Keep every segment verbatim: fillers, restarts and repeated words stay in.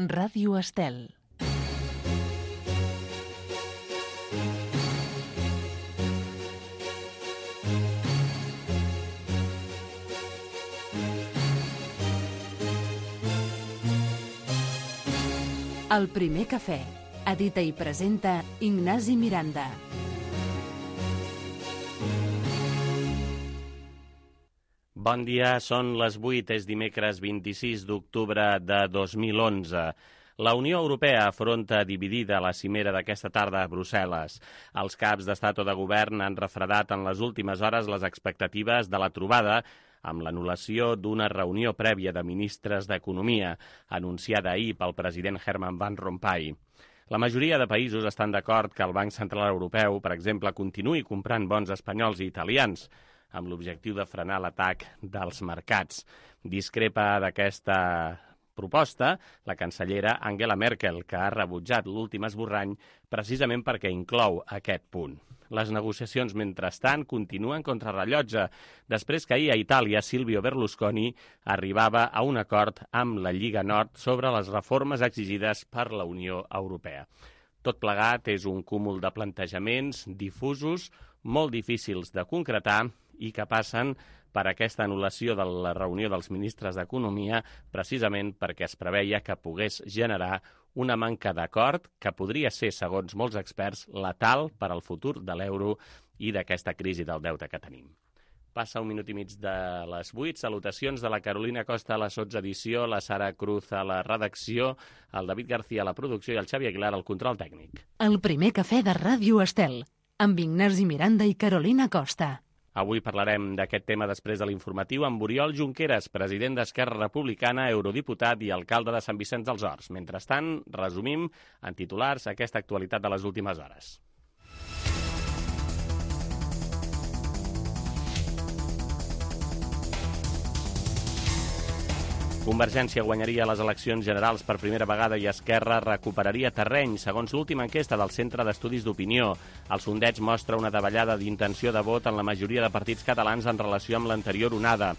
Ràdio Estel. El primer cafè. Edita i presenta Ignasi Miranda. Bon dia, són les vuit, és dimecres vint-i-sis d'octubre de dos mil onze. La Unió Europea afronta dividida la cimera d'aquesta tarda a Brussel·les. Els caps d'estat o de govern han refredat en les últimes hores les expectatives de la trobada amb l'anul·lació d'una reunió prèvia de ministres d'Economia, anunciada ahir pel president Herman Van Rompuy. La majoria de països estan d'acord que el Banc Central Europeu, per exemple, continuï comprant bons espanyols i italians, amb l'objectiu de frenar l'atac dels mercats. Discrepa d'aquesta proposta la cancellera Angela Merkel, que ha rebutjat l'últim esborrany precisament perquè inclou aquest punt. Les negociacions, mentrestant, continuen contrarrellotge, després que ahir a Itàlia Silvio Berlusconi arribava a un acord amb la Lliga Nord sobre les reformes exigides per la Unió Europea. Tot plegat és un cúmul de plantejaments difusos, molt difícils de concretar i que passen per aquesta anul·lació de la reunió dels ministres d'Economia precisament perquè es preveia que pogués generar una manca d'acord que podria ser, segons molts experts, letal per al futur de l'euro i d'aquesta crisi del deute que tenim. Passa un minut i mig de les vuit. Salutacions de la Carolina Costa a la sotsedició, la Sara Cruz a la redacció, el David García a la producció i el Xavi Aguilar al control tècnic. El primer cafè de Ràdio Estel, amb Ignasi Miranda i Carolina Costa. Avui parlarem d'aquest tema després de l'informatiu amb Oriol Junqueras, president d'Esquerra Republicana, eurodiputat i alcalde de Sant Vicenç dels Horts. Mentrestant, resumim en titulars aquesta actualitat de les últimes hores. Convergència guanyaria les eleccions generals per primera vegada i Esquerra recuperaria terreny, segons l'última enquesta del Centre d'Estudis d'Opinió. El sondeig mostra una davallada d'intenció de vot en la majoria de partits catalans en relació amb l'anterior onada.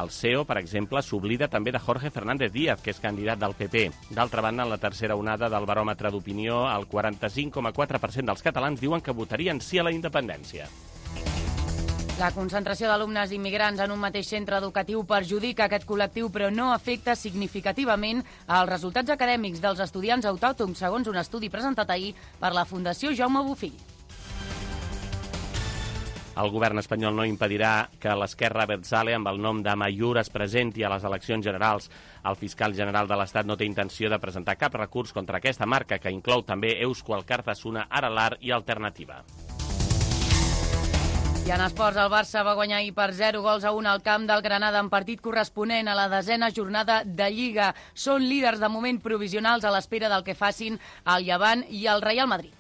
El C E O, per exemple, s'oblida també de Jorge Fernández Díaz, que és candidat del P P. D'altra banda, en la tercera onada del baròmetre d'opinió, el quaranta-cinc coma quatre per cent dels catalans diuen que votarien sí a la independència. La concentració d'alumnes immigrants en un mateix centre educatiu perjudica aquest col·lectiu, però no afecta significativament els resultats acadèmics dels estudiants autòctons, segons un estudi presentat ahir per la Fundació Jaume Bofill. El govern espanyol no impedirà que l'Esquerra Abertzale, amb el nom d'Amaiur, es presenti a les eleccions generals. El fiscal general de l'Estat no té intenció de presentar cap recurs contra aquesta marca, que inclou també Eusko Alkartasuna, Aralar i Alternativa. I en esports, el Barça va guanyar ahir per zero gols a un al camp del Granada en partit corresponent a la desena jornada de Lliga. Són líders de moment provisionals a l'espera del que facin el Llevant i el Real Madrid.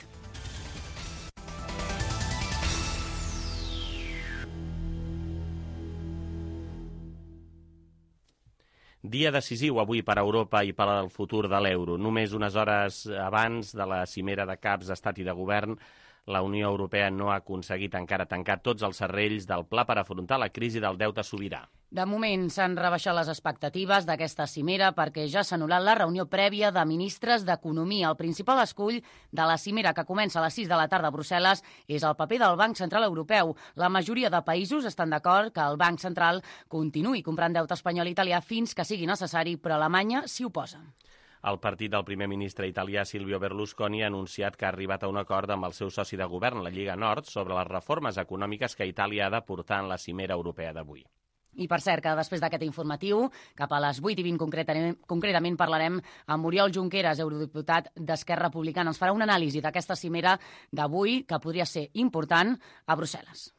Dia decisiu avui per a Europa i per al futur de l'euro. Només unes hores abans de la cimera de caps d'estat i de govern, la Unió Europea no ha aconseguit encara tancar tots els serrells del pla per afrontar la crisi del deute sobirà. De moment s'han rebaixat les expectatives d'aquesta cimera perquè ja s'ha anul·lat la reunió prèvia de ministres d'Economia. El principal escull de la cimera, que comença a les sis de la tarda a Brussel·les, és el paper del Banc Central Europeu. La majoria de països estan d'acord que el Banc Central continuï comprant deute espanyol i italià fins que sigui necessari, però Alemanya s'hi oposa. El partit del primer ministre italià Silvio Berlusconi ha anunciat que ha arribat a un acord amb el seu soci de govern, la Lliga Nord, sobre les reformes econòmiques que Itàlia ha de portar en la cimera europea d'avui. I per cert, que després d'aquest informatiu, cap a les vuit i vint concretament, concretament parlarem amb Oriol Junqueras, eurodiputat d'Esquerra Republicana. Ens farà una anàlisi d'aquesta cimera d'avui, que podria ser important, a Brussel·les.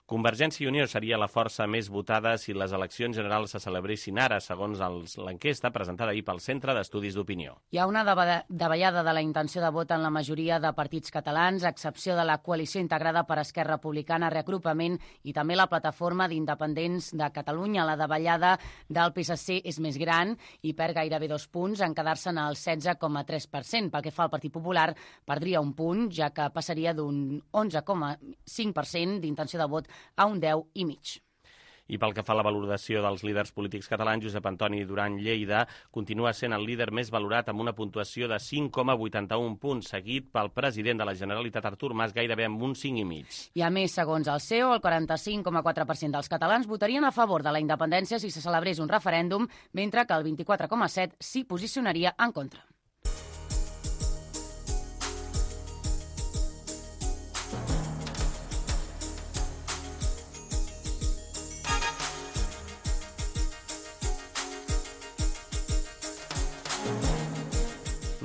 Convergència i Unió seria la força més votada si les eleccions generals se celebressin ara, segons l'enquesta presentada ahir pel Centre d'Estudis d'Opinió. Hi ha una davallada de la intenció de vot en la majoria de partits catalans, a excepció de la coalició integrada per Esquerra Republicana, Reagrupament i també la plataforma d'independents de Catalunya. La davallada del P S C és més gran i perd gairebé dos punts en quedar-se'n al setze coma tres per cent. Pel que fa al Partit Popular, perdria un punt, ja que passaria d'un onze coma cinc per cent d'intenció de vot a un deu i mig. I pel que fa a la valoració dels líders polítics catalans, Josep Antoni Duran Lleida continua sent el líder més valorat amb una puntuació de cinc coma vuitanta-un punts, seguit pel president de la Generalitat, Artur Mas, gairebé amb un cinc i mig. I a més, segons el C E O, el quaranta-cinc coma quatre per cent dels catalans votarien a favor de la independència si se celebrés un referèndum, mentre que el vint-i-quatre coma set per cent s'hi posicionaria en contra.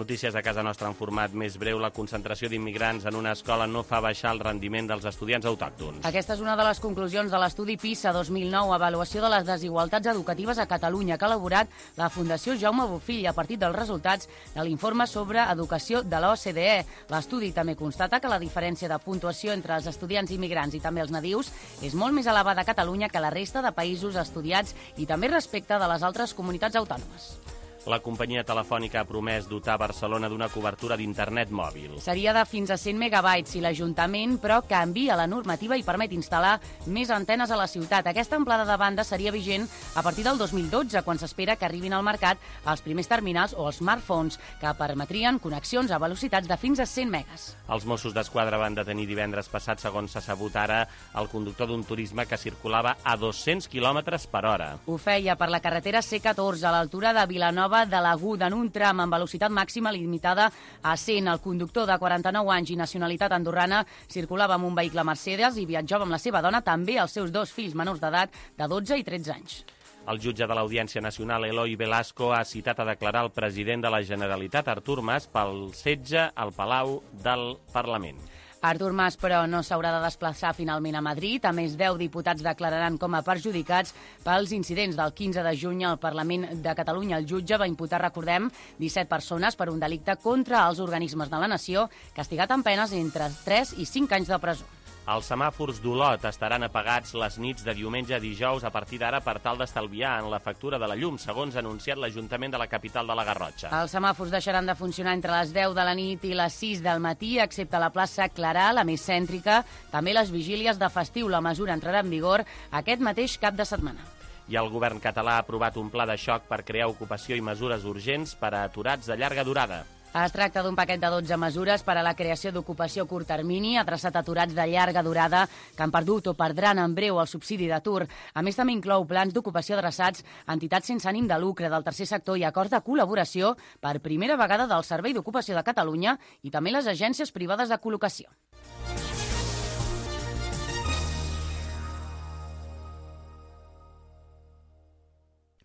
Notícies de casa nostra en format més breu. La concentració d'immigrants en una escola no fa baixar el rendiment dels estudiants autòctons. Aquesta és una de les conclusions de l'estudi PISA dos mil nou, avaluació de les desigualtats educatives a Catalunya, que ha elaborat la Fundació Jaume Bofill a partir dels resultats de l'informe sobre educació de l'O C D E. L'estudi també constata que la diferència de puntuació entre els estudiants immigrants i també els nadius és molt més elevada a Catalunya que a la resta de països estudiats i també respecte de les altres comunitats autònomes. La companyia telefònica ha promès dotar Barcelona d'una cobertura d'internet mòbil. Seria de fins a cent megabytes i l'Ajuntament, però, canvia la normativa i permet instal·lar més antenes a la ciutat. Aquesta amplada de banda seria vigent a partir del dos mil dotze, quan s'espera que arribin al mercat els primers terminals o els smartphones, que permetrien connexions a velocitats de fins a cent megas. Els Mossos d'Esquadra van detenir divendres passat, segons s'ha sabut ara, el conductor d'un turisme que circulava a dos-cents quilòmetres per hora. Ho feia per la carretera C catorze, a l'altura de Vilanova de l'Aguda, en un tram amb velocitat màxima limitada a cent. El conductor de quaranta-nou anys i nacionalitat andorrana circulava amb un vehicle Mercedes i viatjava amb la seva dona, també els seus dos fills menors d'edat de dotze i tretze anys. El jutge de l'Audiència Nacional, Eloi Velasco, ha citat a declarar el president de la Generalitat, Artur Mas, pel setge al Palau del Parlament. Artur Mas, però, no s'haurà de desplaçar finalment a Madrid. A més, deu diputats declararan com a perjudicats pels incidents del quinze de juny al Parlament de Catalunya. El jutge va imputar, recordem, disset persones per un delicte contra els organismes de la nació, castigat amb penes entre tres i cinc anys de presó. Els semàfors d'Olot estaran apagats les nits de diumenge a dijous a partir d'ara per tal d'estalviar en la factura de la llum, segons ha anunciat l'Ajuntament de la capital de la Garrotxa. Els semàfors deixaran de funcionar entre les deu de la nit i les sis del matí, excepte la plaça Clarà, la més cèntrica. També les vigílies de festiu. La mesura entrarà en vigor aquest mateix cap de setmana. I el govern català ha aprovat un pla de xoc per crear ocupació i mesures urgents per a aturats de llarga durada. Es tracta d'un paquet de dotze mesures per a la creació d'ocupació a curt termini, adreçat a aturats de llarga durada que han perdut o perdran en breu el subsidi d'atur. A més, també inclou plans d'ocupació adreçats a entitats sense ànim de lucre del tercer sector i acords de col·laboració per primera vegada del Servei d'Ocupació de Catalunya i també les agències privades de col·locació.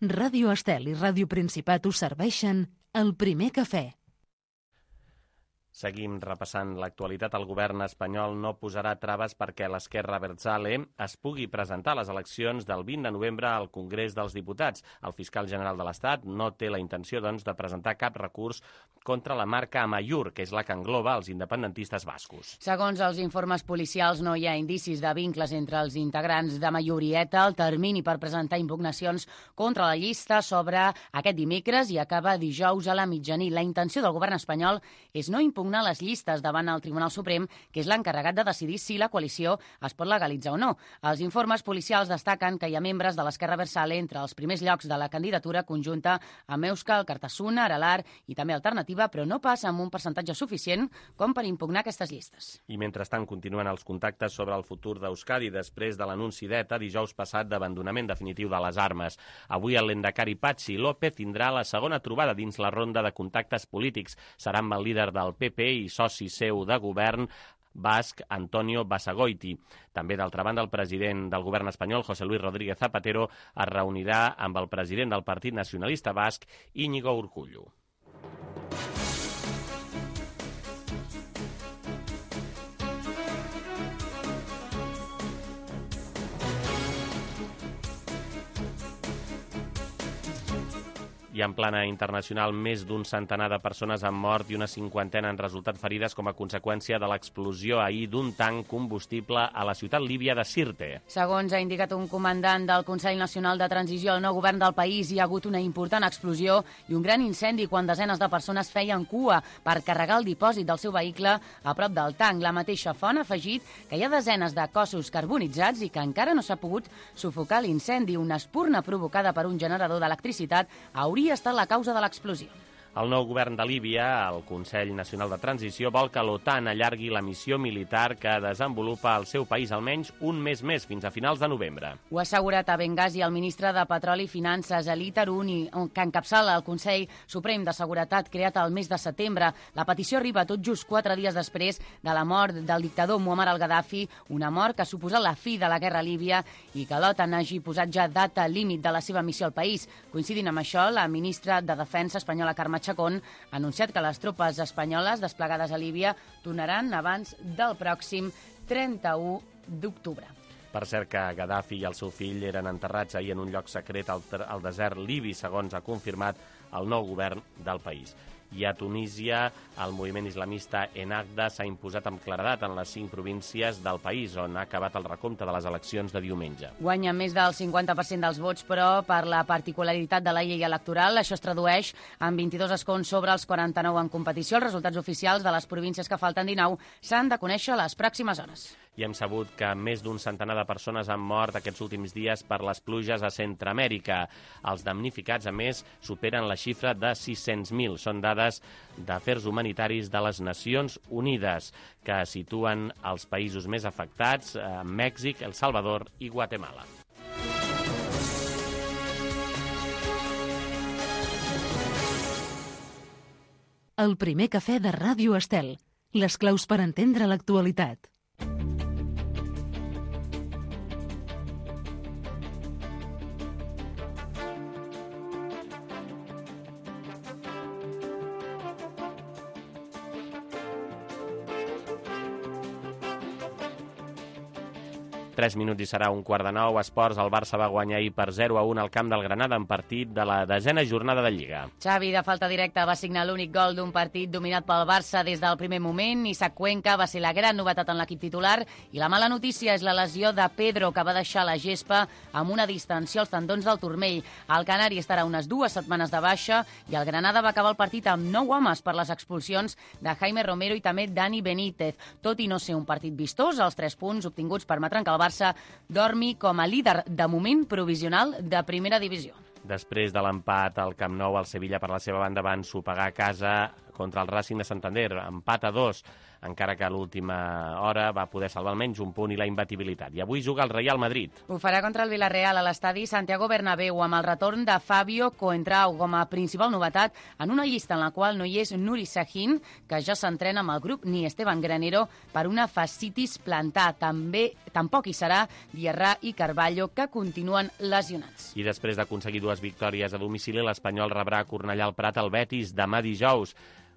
Ràdio Estel i Ràdio Principat us serveixen el primer cafè. Seguim repassant l'actualitat. El govern espanyol no posarà traves perquè l'Esquerra Abertzale es pugui presentar a les eleccions del vint de novembre al Congrés dels Diputats. El fiscal general de l'Estat no té la intenció, doncs, de presentar cap recurs contra la marca Amaiur, que és la que engloba els independentistes bascos. Segons els informes policials, no hi ha indicis de vincles entre els integrants d'Amaiur i ETA. El termini per presentar impugnacions contra la llista s'obre aquest dimecres i acaba dijous a la mitjanit. La intenció del govern espanyol és no impugnar les llistes davant el Tribunal Suprem, que és l'encarregat de decidir si la coalició es pot legalitzar o no. Els informes policials destaquen que hi ha membres de l'Esquerra Abertzale entre els primers llocs de la candidatura conjunta amb Euskal, Cartasuna, Aralar i també Alternativa, però no passa amb un percentatge suficient com per impugnar aquestes llistes. I mentrestant continuen els contactes sobre el futur d'Euskadi després de l'anunci d'ETA dijous passat d'abandonament definitiu de les armes. Avui el lehendakari Patxi López tindrà la segona trobada dins la ronda de contactes polítics. Serà amb el líder del P P i soci seu de govern basc, Antonio Basagoiti. També, d'altra banda, el president del govern espanyol, José Luis Rodríguez Zapatero, es reunirà amb el president del Partit Nacionalista Basc, Íñigo Urkullu. I I en plana internacional, més d'un centenar de persones han mort i una cinquantena han resultat ferides com a conseqüència de l'explosió ahir d'un tanc combustible a la ciutat líbia de Sirte. Segons ha indicat un comandant del Consell Nacional de Transició al nou govern del país, hi ha hagut una important explosió i un gran incendi quan desenes de persones feien cua per carregar el dipòsit del seu vehicle a prop del tanc. La mateixa font ha afegit que hi ha desenes de cossos carbonitzats i que encara no s'ha pogut sufocar l'incendi. Una espurna provocada per un generador d'electricitat hauria estat la causa de l'explosió. El nou govern de Líbia, el Consell Nacional de Transició, vol que l'OTAN allargui la missió militar que desenvolupa el seu país almenys un mes més, fins a finals de novembre. Ho ha assegurat a Benghazi el ministre de Petroli i Finances, Ali Taruni, que encapçala el Consell Suprem de Seguretat creat el mes de setembre. La petició arriba tot just quatre dies després de la mort del dictador Muammar al-Gaddafi, una mort que ha suposat la fi de la guerra a Líbia i que l'OTAN hagi posat ja data límit de la seva missió al país. Coincidint amb això, la ministra de Defensa espanyola, Carme Chacón, ha anunciat que les tropes espanyoles desplegades a Líbia tornaran abans del pròxim trenta-u d'octubre. Per cert que Gaddafi i el seu fill eren enterrats ahir en un lloc secret al, al desert libi, segons ha confirmat el nou govern del país. I a Tunísia, el moviment islamista Ennahda s'ha imposat amb claredat en les cinc províncies del país, on ha acabat el recompte de les eleccions de diumenge. Guanya més del cinquanta per cent dels vots, però per la particularitat de la llei electoral, això es tradueix en vint-i-dos escons sobre els quaranta-nou en competició. Els resultats oficials de les províncies que falten dinou s'han de conèixer a les pròximes hores. I hem sabut que més d'un centenar de persones han mort aquests últims dies per les pluges a Centreamèrica. Els damnificats, a més, superen la xifra de sis-cents mil. Són dades d'Afers Humanitaris de les Nacions Unides, que situen els països més afectats, eh, Mèxic, El Salvador i Guatemala. El primer cafè de Ràdio Estel. Les claus per entendre l'actualitat. tres minuts i serà un quart de nou. Esports, el Barça va guanyar ahir per zero a un al camp del Granada en partit de la desena jornada de Lliga. Xavi, de falta directa, va signar l'únic gol d'un partit dominat pel Barça des del primer moment. Isaac Cuenca va ser la gran novetat en l'equip titular i la mala notícia és la lesió de Pedro, que va deixar la gespa amb una distensió als tendons del turmell. El canari estarà unes dues setmanes de baixa i el Granada va acabar el partit amb nou homes per les expulsions de Jaime Romero i també Dani Benítez. Tot i no ser un partit vistós, els tres punts obtinguts permetran que el Barça dormi com a líder de moment provisional de primera divisió. Després de l'empat al Camp Nou, el Sevilla, per la seva banda, va ensopegar a casa contra el Racing de Santander, empat a dos, encara que a l'última hora va poder salvar almenys un punt i la imbatibilitat. I avui juga el Real Madrid. Ho farà contra el Villarreal a l'estadi Santiago Bernabéu, amb el retorn de Fabio Coentrao com a principal novetat en una llista en la qual no hi és Nuri Sahin, que ja s'entrena amb el grup, ni Esteban Granero per una fascitis plantar. També tampoc hi serà Diarra i Carballo, que continuen lesionats. I després d'aconseguir dues victòries a domicili, l'Espanyol rebrà a Cornellà al Prat el Betis demà dijous.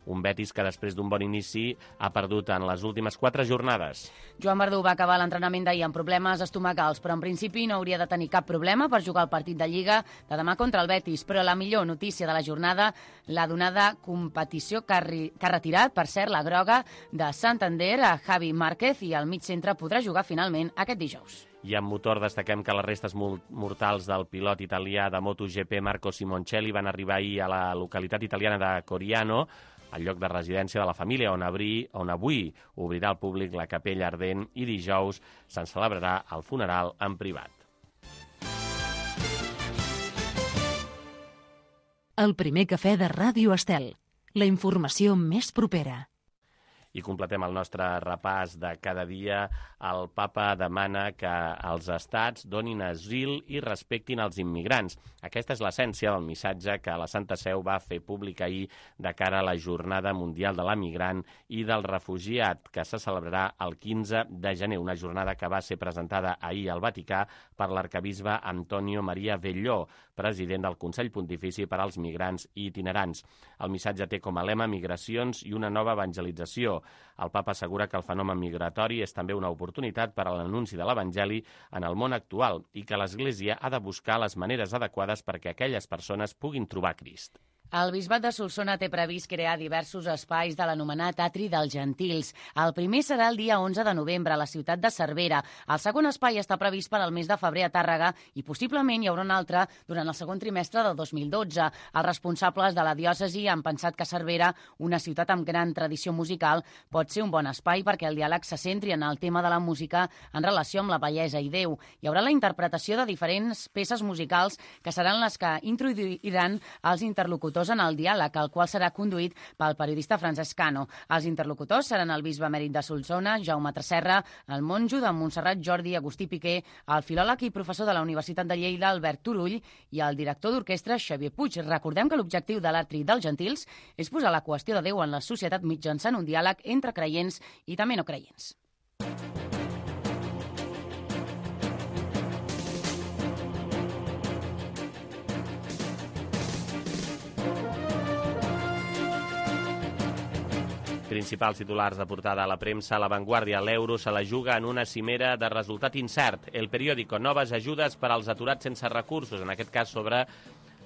Un Betis que després d'un bon inici ha perdut en les últimes quatre jornades. Joan Verdú va acabar l'entrenament d'ahir amb problemes estomacals, però en principi no hauria de tenir cap problema per jugar el partit de Lliga de demà contra el Betis. Però la millor notícia de la jornada l'ha donada competició que ha, que ha retirat, per cert, la groga de Santander a Javi Márquez, i el mig centre podrà jugar finalment aquest dijous. I amb motor destaquem que les restes mortals del pilot italià de MotoGP Marco Simoncelli van arribar ahir a la localitat italiana de Coriano, al lloc de residència de la família, on, abri, on avui obrirà al públic la capella ardent i dijous se'n celebrarà el funeral en privat. El primer cafè de Ràdio Estel. La informació més propera. I completem el nostre repàs de cada dia. El papa demana que els estats donin asil i respectin els immigrants. Aquesta és l'essència del missatge que la Santa Seu va fer públic ahir de cara a la Jornada Mundial de l'Emigrant i del Refugiat, que se celebrarà el quinze de gener, una jornada que va ser presentada ahir al Vaticà per l'arcabisbe Antonio Maria Velló, president del Consell Pontifici per als Migrants i Itinerants. El missatge té com a lema migracions i una nova evangelització, migració. El papa assegura que el fenomen migratori és també una oportunitat per a l'anunci de l'Evangeli en el món actual i que l'Església ha de buscar les maneres adequades perquè aquelles persones puguin trobar Crist. El Bisbat de Solsona té previst crear diversos espais de l'anomenat Atri dels Gentils. El primer serà el dia onze de novembre a la ciutat de Cervera. El segon espai està previst per al mes de febrer a Tàrrega i possiblement hi haurà un altre durant el segon trimestre del dos mil dotze. Els responsables de la diòcesi han pensat que Cervera, una ciutat amb gran tradició musical, pot ser un bon espai perquè el diàleg se centri en el tema de la música en relació amb la bellesa i Déu. Hi haurà la interpretació de diferents peces musicals que seran les que introduiran els interlocutors en el diàleg, el qual serà conduït pel periodista Francesc Cano. Els interlocutors seran el bisbe emèrit de Solsona, Jaume Tresserra, el monjo de Montserrat Jordi Agustí Piqué, el filòleg i professor de la Universitat de Lleida, Albert Turull, i el director d'orquestra, Xavier Puig. Recordem que l'objectiu de l'Atri dels Gentils és posar la qüestió de Déu en la societat mitjançant un diàleg entre creients i també no creients. Principals titulars de portada a la premsa, La Vanguardia, l'euro se la juga en una cimera de resultat incert. El periòdico, noves ajudes per als aturats sense recursos, en aquest cas sobre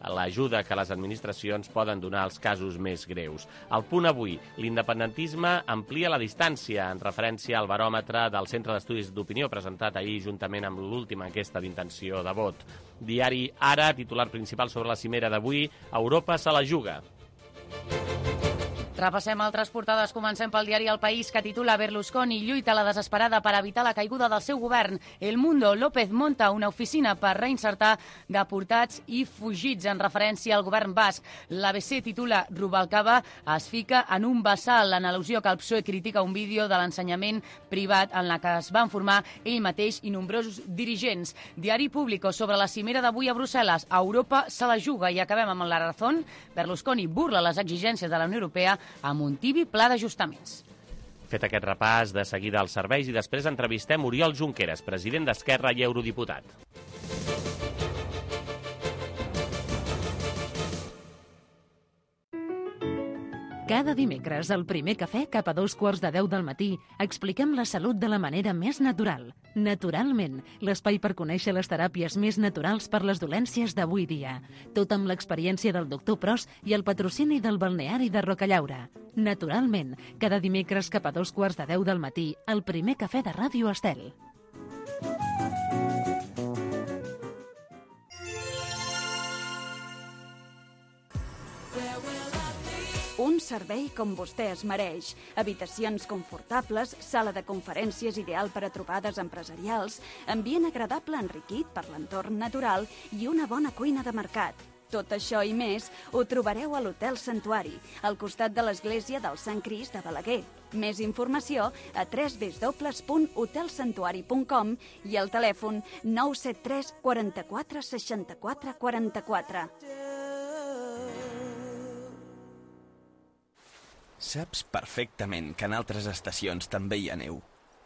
l'ajuda que les administracions poden donar als casos més greus. Al Punt avui, l'independentisme amplia la distància, en referència al baròmetre del Centre d'Estudis d'Opinió presentat ahir juntament amb l'última enquesta d'intenció de vot. Diari Ara, titular principal sobre la cimera d'avui, Europa se la juga. Repassem altres portades. Comencem pel diari El País, que titula Berlusconi lluita a la desesperada per evitar la caiguda del seu govern. El Mundo, López monta una oficina per reinsertar deportats i fugits, en referència al govern basc. L'A B C titula Rubalcaba es fica en un bassal, en al·lusió que el P S O E critica un vídeo de l'ensenyament privat en la que es van formar ell mateix i nombrosos dirigents. Diari Público, sobre la cimera d'avui a Brussel·les, Europa se la juga. I acabem amb La Razón. Berlusconi burla les exigències de la Unió Europea amb un tibi pla d'ajustaments. Fet aquest repàs, de seguida als serveis i després entrevistem Oriol Junqueras, president d'Esquerra i eurodiputat. Cada dimecres, al primer cafè, cap a dos quarts de deu del matí, expliquem la salut de la manera més natural. Naturalment, l'espai per conèixer les teràpies més naturals per les dolències d'avui dia. Tot amb l'experiència del doctor Pros i el patrocini del balneari de Rocallaura. Naturalment, cada dimecres cap a dos quarts de deu del matí, al primer cafè de Ràdio Estel. Un servei com vostè es mereix. Habitacions confortables, sala de conferències ideal per a trobades empresarials, ambient agradable enriquit per l'entorn natural i una bona cuina de mercat. Tot això i més ho trobareu a l'Hotel Santuari, al costat de l'església del Sant Crist de Balaguer. Més informació a w w w punt hotel santuari punt com i al telèfon nou set tres quaranta-quatre seixanta-quatre quaranta-quatre. Saps perfectament que en altres estacions també hi ha neu.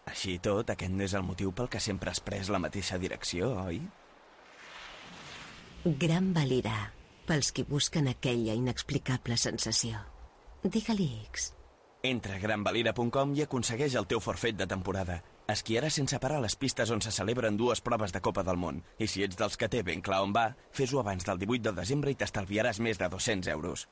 Així i tot, aquest no és el motiu pel que sempre has pres la mateixa direcció, oi? Gran Valira, pels qui busquen aquella inexplicable sensació. Digue-li X. Entra a gran valira punt com i aconsegueix el teu forfait de temporada. Esquiaràs sense parar a les pistes on se celebren dues proves de Copa del Món. I si ets dels que té ben clar on va, fes-ho abans del divuit de desembre i t'estalviaràs més de dos-cents euros.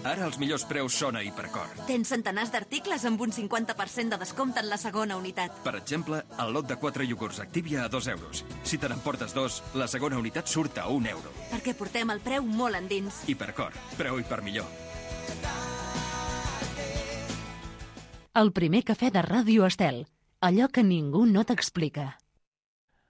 Ara els millors preus són a Hipercor. Tens centenars d'articles amb un cinquanta per cent de descompte en la segona unitat. Per exemple, el lot de quatre iogurts Activia a dos euros. Si te n'emportes dos, la segona unitat surt a un euro. Perquè portem el preu molt endins. Hipercor, preu i per millor. El primer cafè de Ràdio Estel. Allò que ningú no t'explica.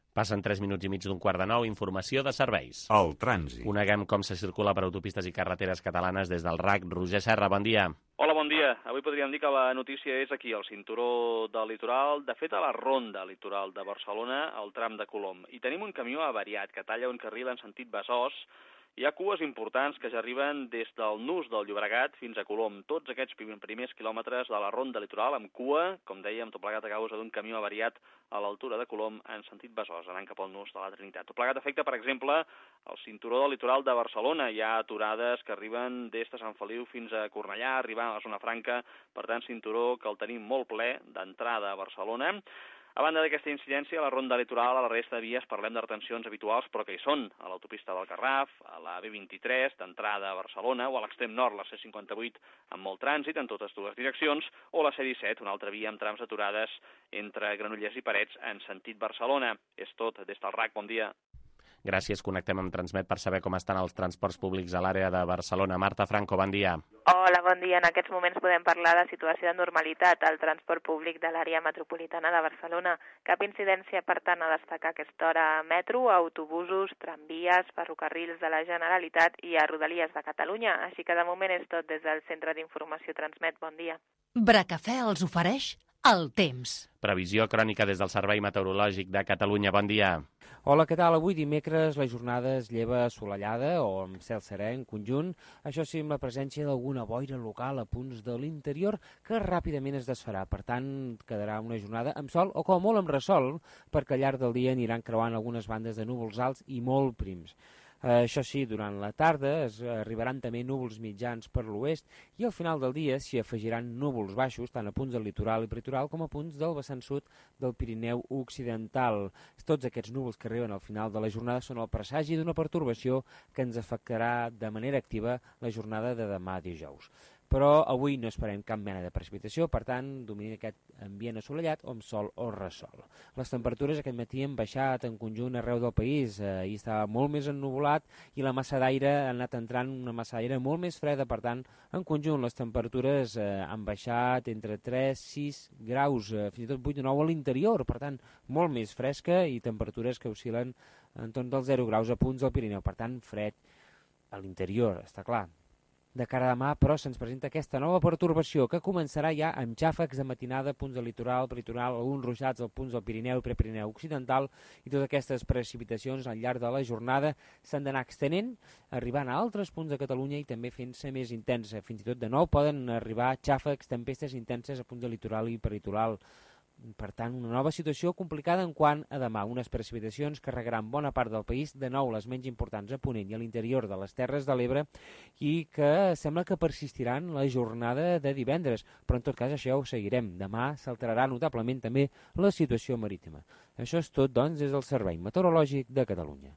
Passen tres minuts i mig d'un quart de nou, informació de serveis. El trànsit. Coneguem com se circula per autopistes i carreteres catalanes des del R A C. Roger Serra, bon dia. Hola, bon dia. Avui podríem dir que la notícia és aquí, al cinturó del litoral, de fet a la ronda litoral de Barcelona, al tram de Colom. I tenim un camió avariat que talla un carril en sentit Besòs, Hi ha cues importants que ja arriben des del nus del Llobregat fins a Colom. Tots aquests primers quilòmetres de la ronda litoral amb cua, com dèiem, tot plegat a causa d'un camió avariat a l'altura de Colom en sentit Besòs, anant cap al nus de la Trinitat. Tot plegat afecta, per exemple, el cinturó del litoral de Barcelona. Hi ha aturades que arriben des de Sant Feliu fins a Cornellà, arribant a la zona franca, per tant, cinturó que el tenim molt ple d'entrada a Barcelona. A banda d'aquesta incidència, a la ronda litoral, a la resta de vies, parlem de retencions habituals, però que hi són, a l'autopista del Garraf, a la B vint-i-tres, d'entrada a Barcelona, o a l'extrem nord, la C cinquanta-vuit, amb molt trànsit en totes dues direccions, o la C disset, una altra via amb trams aturades entre Granollers i Parets en sentit Barcelona. És tot. Des del R A C, bon dia. Gràcies. Connectem amb Transmet per saber com estan els transports públics a l'àrea de Barcelona. Marta Franco, bon dia. Hola, bon dia. En aquests moments podem parlar de situació de normalitat al transport públic de l'àrea metropolitana de Barcelona. Cap incidència, per tant, a destacar aquesta hora a metro, autobusos, tramvies, ferrocarrils de la Generalitat i a Rodalies de Catalunya. Així que de moment és tot des del Centre d'Informació Transmet. Bon dia. Bracafè els ofereix el temps. Previsió crònica des del Servei Meteorològic de Catalunya. Bon dia. Hola, què tal? Avui dimecres la jornada es lleva assolellada o amb cel serè en conjunt, això sí amb la presència d'alguna boira local a punts de l'interior que ràpidament es desfarà. Per tant, quedarà una jornada amb sol o com a molt amb ressol, perquè al llarg del dia aniran creuant algunes bandes de núvols alts i molt prims. Eh, això sí, durant la tarda es arribaran també núvols mitjans per l'oest i al final del dia s'hi afegiran núvols baixos tant a punts del litoral i peritoral com a punts del vessant sud del Pirineu occidental. Tots aquests núvols que arriben al final de la jornada són el presagi d'una pertorbació que ens afectarà de manera activa la jornada de demà dijous. Però avui no esperem cap mena de precipitació, per tant, domina aquest ambient assolellat o amb sol o ressol. Les temperatures aquest matí han baixat en conjunt arreu del país, ahir estava molt més ennuvolat i la massa d'aire ha anat entrant una massa d'aire molt més freda, per tant, en conjunt les temperatures eh, han baixat entre tres a sis graus, eh, fins i tot vuit o nou a l'interior, per tant, molt més fresca i temperatures que oscil·len entorn dels zero graus a punts del Pirineu, per tant, fred a l'interior, està clar. De cara a demà, però, se'ns presenta aquesta nova pertorbació que començarà ja amb xàfecs de matinada a punts del litoral, peritoral, alguns ruixats als punts del Pirineu i Prepirineu occidental, i totes aquestes precipitacions al llarg de la jornada s'han d'anar extenent, arribant a altres punts de Catalunya i també fent-se més intensa. Fins i tot de nou poden arribar xàfecs, tempestes intenses a punts del litoral i peritoral. Per tant, una nova situació complicada en quant a demà. Unes precipitacions que regaran bona part del país, de nou les menys importants a Ponent i a l'interior de les Terres de l'Ebre, i que sembla que persistiran la jornada de divendres. Però en tot cas això ho seguirem. Demà s'alterarà notablement també la situació marítima. Això és tot, doncs, des del Servei Meteorològic de Catalunya.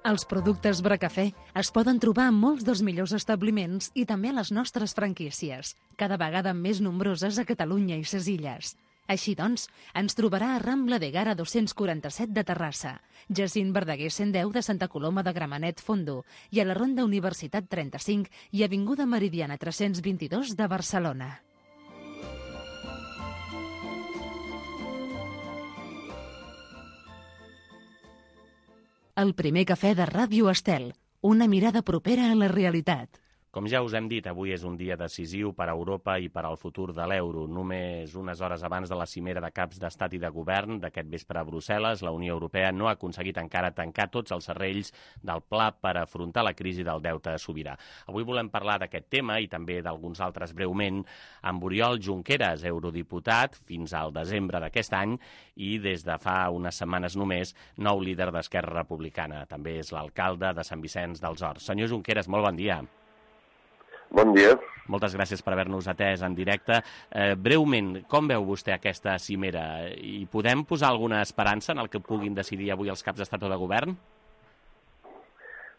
Els productes Bracafè es poden trobar en molts dels millors establiments i també a les nostres franquícies, cada vegada més nombroses a Catalunya i ses Illes. Així doncs, ens trobarà a Rambla de Gara dos-cents quaranta-set de Terrassa, Jacint Verdaguer cent deu de Santa Coloma de Gramenet Fondo i a la Ronda Universitat trenta-cinc i Avinguda Meridiana tres-cents vint-i-dos de Barcelona. El primer cafè de Ràdio Estel, una mirada propera a la realitat. Com ja us hem dit, avui és un dia decisiu per a Europa i per al futur de l'euro. Només unes hores abans de la cimera de caps d'estat i de govern d'aquest vespre a Brussel·les, la Unió Europea no ha aconseguit encara tancar tots els serrells del pla per afrontar la crisi del deute sobirà. Avui volem parlar d'aquest tema i també d'alguns altres breument amb Oriol Junqueras, eurodiputat fins al desembre d'aquest any i des de fa unes setmanes només nou líder d'Esquerra Republicana. També és l'alcalde de Sant Vicenç dels Horts. Senyor Junqueras, molt bon dia. Bon dia. Moltes gràcies per haver-nos atès en directe. Eh, breument, com veu vostè aquesta cimera? I podem posar alguna esperança en el que puguin decidir avui els caps d'estat o de govern?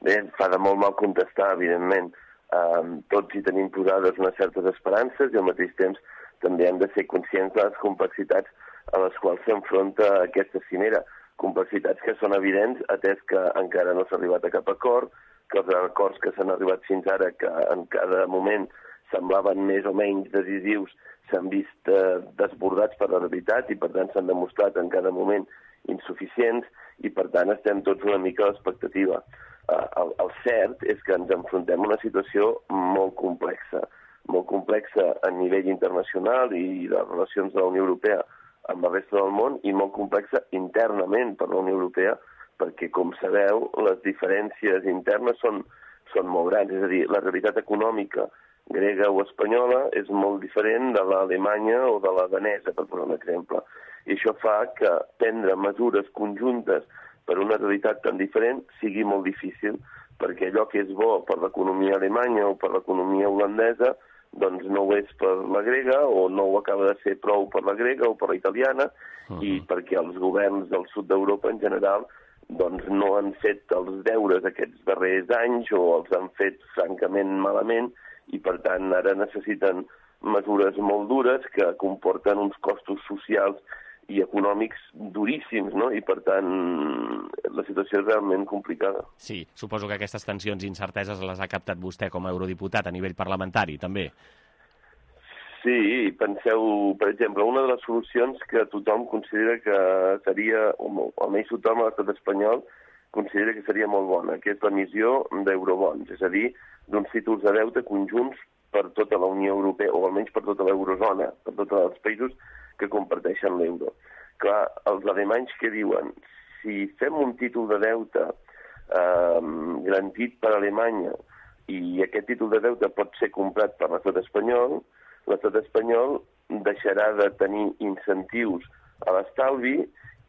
Bé, fa de molt mal contestar, evidentment. Um, tots hi tenim posades unes certes esperances i al mateix temps també hem de ser conscients de les complexitats a les quals s'enfronta aquesta cimera. Complexitats que són evidents, atès que encara no s'ha arribat a cap acord, que els acords que s'han arribat fins ara, que en cada moment semblaven més o menys decisius, s'han vist eh, desbordats per la realitat i per tant s'han demostrat en cada moment insuficients i per tant estem tots una mica a l'expectativa. Eh, el, el cert és que ens enfrontem a una situació molt complexa, molt complexa a nivell internacional i de les relacions de la Unió Europea amb la resta del món i molt complexa internament per la Unió Europea perquè, com sabeu, les diferències internes són, són molt grans. És a dir, la realitat econòmica grega o espanyola és molt diferent de l'alemanya o de la danesa, per posar un exemple. I això fa que prendre mesures conjuntes per una realitat tan diferent sigui molt difícil, perquè allò que és bo per l'economia alemanya o per l'economia holandesa doncs no ho és per la grega, o no ho acaba de ser prou per la grega o per la italiana, uh-huh. i perquè els governs del sud d'Europa en general doncs no han fet els deures aquests darrers anys o els han fet francament malament, i per tant ara necessiten mesures molt dures que comporten uns costos socials i econòmics duríssims, no? I per tant la situació és realment complicada. Sí, suposo que aquestes tensions i incerteses les ha captat vostè com a eurodiputat a nivell parlamentari, també. Sí, penseu, per exemple, una de les solucions que tothom considera que seria, o almenys tothom a l'estat espanyol considera que seria molt bona, que és l'emissió d'eurobons, és a dir, d'uns títols de deute conjunts per tota la Unió Europea, o almenys per tota l'eurozona, per tots els països que comparteixen l'euro. Clar, els alemanys que diuen, si fem un títol de deute eh, garantit per Alemanya i aquest títol de deute pot ser comprat per l'estat espanyol, l'estat espanyol deixarà de tenir incentius a l'estalvi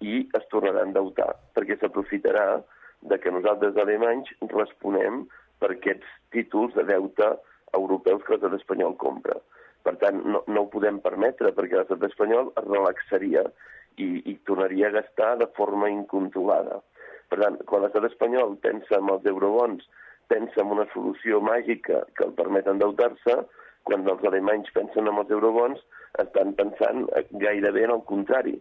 i es tornarà a endeutar, perquè s'aprofitarà de que nosaltres alemanys responem per aquests títols de deute europeus que l'estat espanyol compra. Per tant, no, no ho podem permetre, perquè l'estat espanyol es relaxaria i, i tornaria a gastar de forma incontrolada. Per tant, quan l'estat espanyol pensa en els eurobons, pensa en una solució màgica que el permet endeutar-se, quan els alemanys pensen en els eurobons, estan pensant gairebé en el contrari.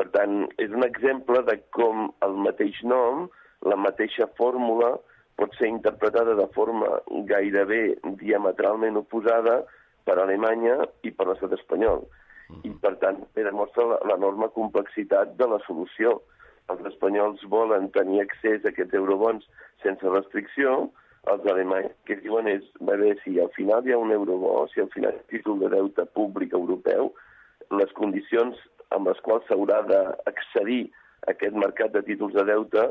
Per tant, és un exemple de com el mateix nom, la mateixa fórmula, pot ser interpretada de forma gairebé diametralment oposada per Alemanya i per l'estat espanyol. I, per tant, demostra l'enorme complexitat de la solució. Els espanyols volen tenir accés a aquests eurobons sense restricció, els alemanys que diuen és, bé, si al final hi ha un eurobó, si al final hi ha un títol de deute públic europeu, les condicions amb les quals s'haurà d'accedir a aquest mercat de títols de deute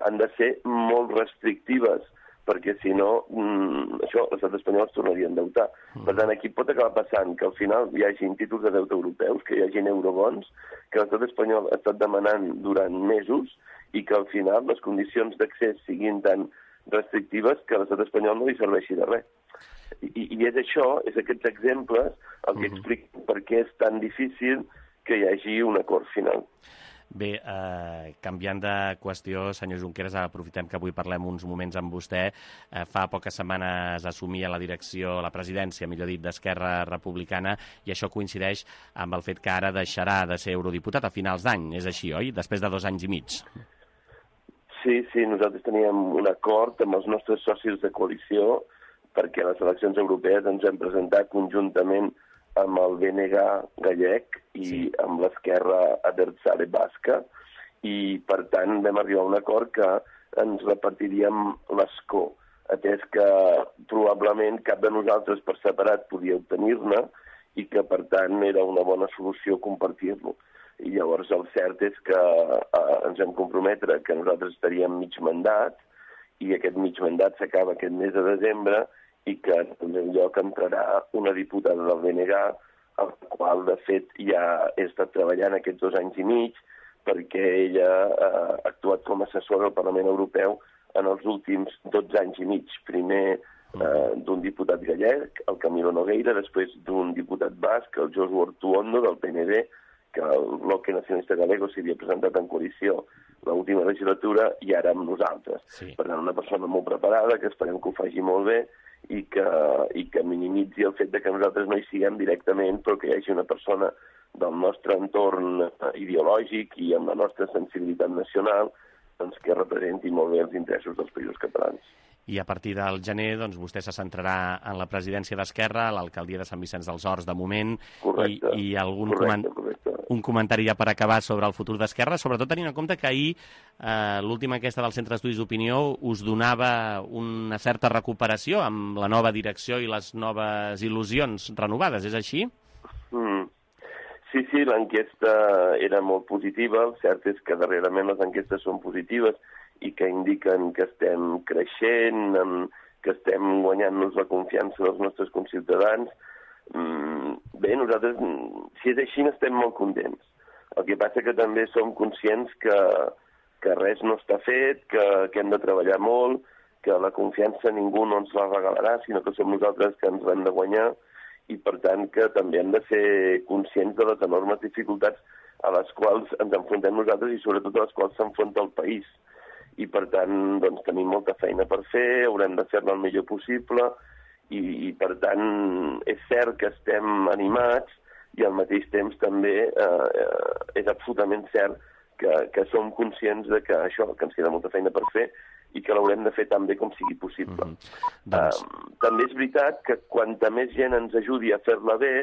han de ser molt restrictives, perquè si no, mmm, això, l'estat espanyol es tornaria a endeutar. Per tant, aquí pot acabar passant que al final hi hagi títols de deute europeus, que hi hagi eurobons, que l'estat espanyol ha estat demanant durant mesos i que al final les condicions d'accés siguin tan restrictives que l'estat espanyol no li serveixi de res. I, i és això, és aquests exemples el que explica per què és tan difícil que hi hagi un acord final. Bé, eh, canviant de qüestió, senyor Junqueras, aprofitem que avui parlem uns moments amb vostè. Eh, fa poques setmanes assumia la direcció, la presidència, millor dit, d'Esquerra Republicana, i això coincideix amb el fet que ara deixarà de ser eurodiputat a finals d'any. És així, oi? Després de dos anys i mig. Sí, sí, nosaltres teníem un acord amb els nostres socis de coalició perquè a les eleccions europees ens hem presentat conjuntament amb el B N G gallec i sí. amb l'Esquerra Abertzale basca, i per tant vam arribar a un acord que ens repartiríem l'escó, atès que probablement cap de nosaltres per separat podia obtenir-ne i que per tant era una bona solució compartir-lo. I llavors el cert és que eh, ens vam comprometre que nosaltres estaríem mig mandat i aquest mig mandat s'acaba aquest mes de desembre i que en el lloc entrarà una diputada del B N G, el qual, de fet, ja he estat treballant aquests dos anys i mig perquè ella ha actuat com a assessora al Parlament Europeu en els últims dotze anys i mig. Primer eh, d'un diputat gallec, el Camilo Nogueira, després d'un diputat basc, el Josu Ortuondo, del P N V, que el Bloque Nacionalista Galego s'havia presentat en coalició l'última legislatura, i ara amb nosaltres. Sí. Per tant, una persona molt preparada, que esperem que ho faci molt bé, i que, i que minimitzi el fet de que nosaltres no hi siguem directament, però que hi hagi una persona del nostre entorn ideològic i amb la nostra sensibilitat nacional doncs, que representi molt bé els interessos dels països catalans. I a partir del gener doncs, vostè se centrarà en la presidència d'Esquerra, a l'alcaldia de Sant Vicenç dels Horts de moment, correcte, i, i algun correcte, coment... correcte. un comentari ja per acabar sobre el futur d'Esquerra, sobretot tenint en compte que ahir eh, l'última enquesta del Centre d'Estudis d'Opinió us donava una certa recuperació amb la nova direcció i les noves il·lusions renovades, és així? Mm. Sí, sí, l'enquesta era molt positiva, el cert és que darrerament les enquestes són positives i que indiquen que estem creixent, que estem guanyant-nos la confiança dels nostres conciutadans. Bé, nosaltres, si és així, estem molt contents. El que passa que també som conscients que, que res no està fet, que, que hem de treballar molt, que la confiança ningú no ens la regalarà, sinó que som nosaltres que ens l'hem de guanyar, i per tant que també hem de ser conscients de les enormes dificultats a les quals ens enfrontem nosaltres i sobretot a les quals s'enfronta el país. I per tant, doncs, tenim molta feina per fer, haurem de fer-la el millor possible, i, i per tant és cert que estem animats, i al mateix temps també eh, és absolutament cert que, que som conscients de que això, que ens queda molta feina per fer i que l'haurem de fer tan bé com sigui possible. Mm-hmm. doncs... uh, també és veritat que quanta més gent ens ajudi a fer-la bé,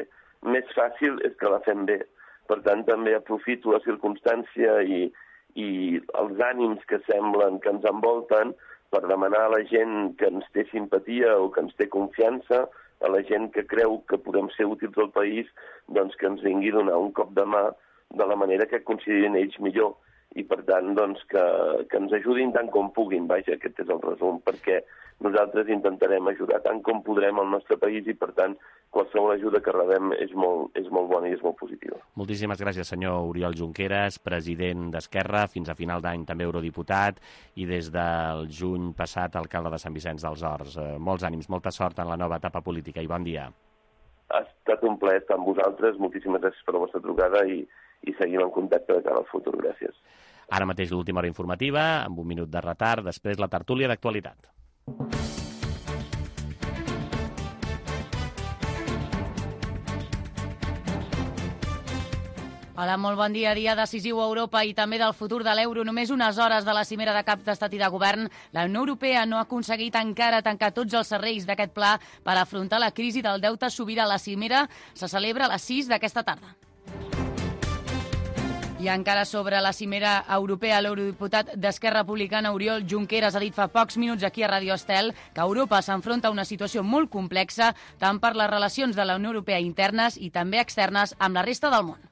més fàcil és que la fem bé. Per tant, també aprofito la circumstància i, i els ànims que semblen que ens envolten per demanar a la gent que ens té simpatia o que ens té confiança, a la gent que creu que podem ser útils al país, doncs que ens vingui a donar un cop de mà de la manera que considerin ells millor. I, per tant, doncs, que, que ens ajudin tant com puguin. Vaja, aquest és el resum, perquè nosaltres intentarem ajudar tant com podrem al nostre país i, per tant, qualsevol ajuda que rebem és molt, és molt bona i és molt positiva. Moltíssimes gràcies, senyor Oriol Junqueras, president d'Esquerra, fins a final d'any també eurodiputat i des del juny passat alcalde de Sant Vicenç dels Horts. Eh, molts ànims, molta sort en la nova etapa política i bon dia. Ha estat un plaer estar amb vosaltres, moltíssimes gràcies per la vostra trucada i, i seguim en contacte de cara al futur. Gràcies. Ara mateix l'última hora informativa, amb un minut de retard, després la tertúlia d'actualitat. Hola, molt bon dia. Dia decisiu a Europa i també del futur de l'euro. Només unes hores de la cimera de caps d'estat i de govern, la Unió Europea no ha aconseguit encara tancar tots els serrells d'aquest pla per afrontar la crisi del deute sobirà. La cimera se celebra a les sis d'aquesta tarda. I encara sobre la cimera europea, l'eurodiputat d'Esquerra Republicana, Oriol Junqueras, ha dit fa pocs minuts aquí a Radio Estel que Europa s'enfronta a una situació molt complexa tant per les relacions de la Unió Europea internes i també externes amb la resta del món.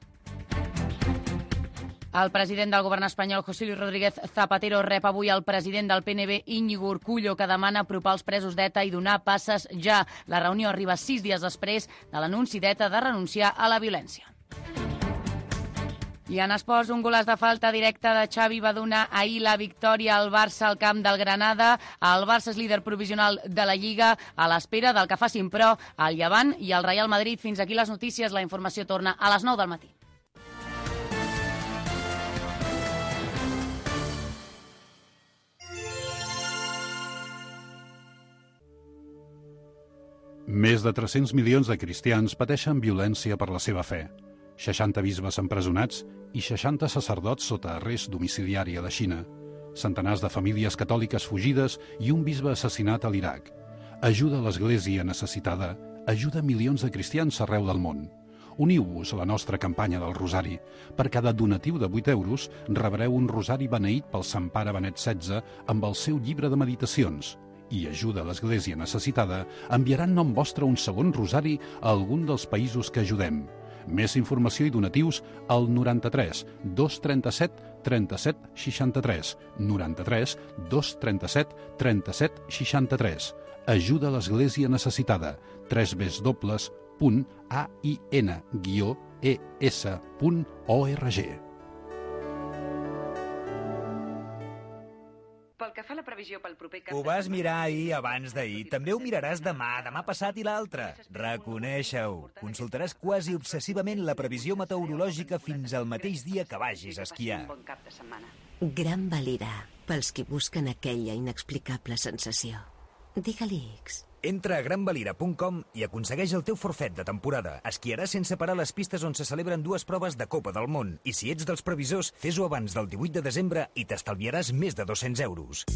El president del govern espanyol, José Luis Rodríguez Zapatero, rep avui el president del P N B, Íñigo Urkullu, que demana apropar els presos d'ETA i donar passes ja. La reunió arriba sis dies després de l'anunci d'ETA de renunciar a la violència. I en esports, un golaç de falta directa de Xavi va donar ahir la victòria al Barça al camp del Granada. El Barça és líder provisional de la Lliga a l'espera del que facin, però, el Llevant i el Real Madrid. Fins aquí les notícies. La informació torna a les nou del matí. Més de tres-cents milions de cristians pateixen violència per la seva fe. seixanta bisbes empresonats i seixanta sacerdots sota arrest domiciliari a la Xina, centenars de famílies catòliques fugides i un bisbe assassinat a l'Iraq. Ajuda a l'Església necessitada, ajuda milions de cristians arreu del món. Uniu-vos a la nostra campanya del Rosari. Per cada donatiu de vuit euros rebreu un rosari beneït pel Sant Pare Benet setze amb el seu llibre de meditacions. I Ajuda a l'Església necessitada enviarà en nom vostre un segon rosari a algun dels països que ajudem. Més informació i donatius al noranta-tres dos trenta-set trenta-set seixanta-tres, noranta-tres dos trenta-set trenta-set seixanta-tres. Ajuda a l'Església necessitada, w w w punt a i n guió e s punt org. Pel que fa a la previsió pel proper cap... Ho vas mirar ahir abans d'ahir. També ho miraràs demà, demà passat i l'altre. Reconeixa-ho. Consultaràs quasi obsessivament la previsió meteorològica fins al mateix dia que vagis a esquiar. Gran Valira, pels qui busquen aquella inexplicable sensació. Digue-li X. Entra a gran valira punt com i aconsegueix el teu forfet de temporada. Esquiaràs sense parar les pistes on se celebren dues proves de Copa del Món. I si ets dels previsors, fes-ho abans del divuit de desembre i t'estalviaràs més de dos-cents euros.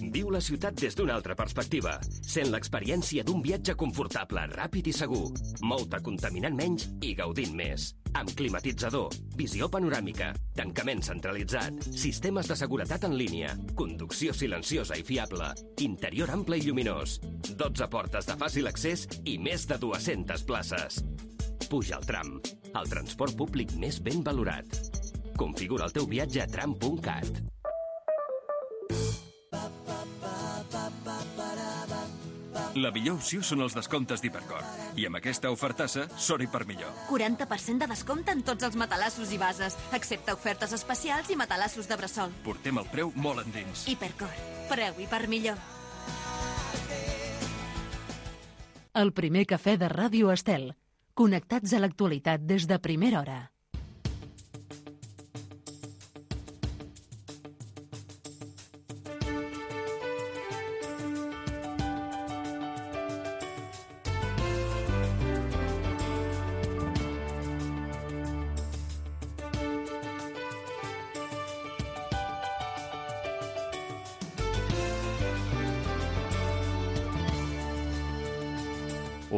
Viu la ciutat des d'una altra perspectiva. Sent l'experiència d'un viatge confortable, ràpid i segur. Mou-te contaminant menys i gaudint més. Amb climatitzador, visió panoràmica, tancament centralitzat, sistemes de seguretat en línia, conducció silenciosa i fiable, interior ample i lluminós, dotze portes de fàcil accés i més de dues-centes places. Puja al tram, el transport públic més ben valorat. Configura el teu viatge a tram punt cat. La millor opció són els descomptes d'Hipercor. I amb aquesta ofertassa, sort i per millor. quaranta per cent de descompte en tots els matalassos i bases, excepte ofertes especials i matalassos de bressol. Portem el preu molt endins. Hipercor. Preu i per millor. El primer cafè de Ràdio Estel. Connectats a l'actualitat des de primera hora.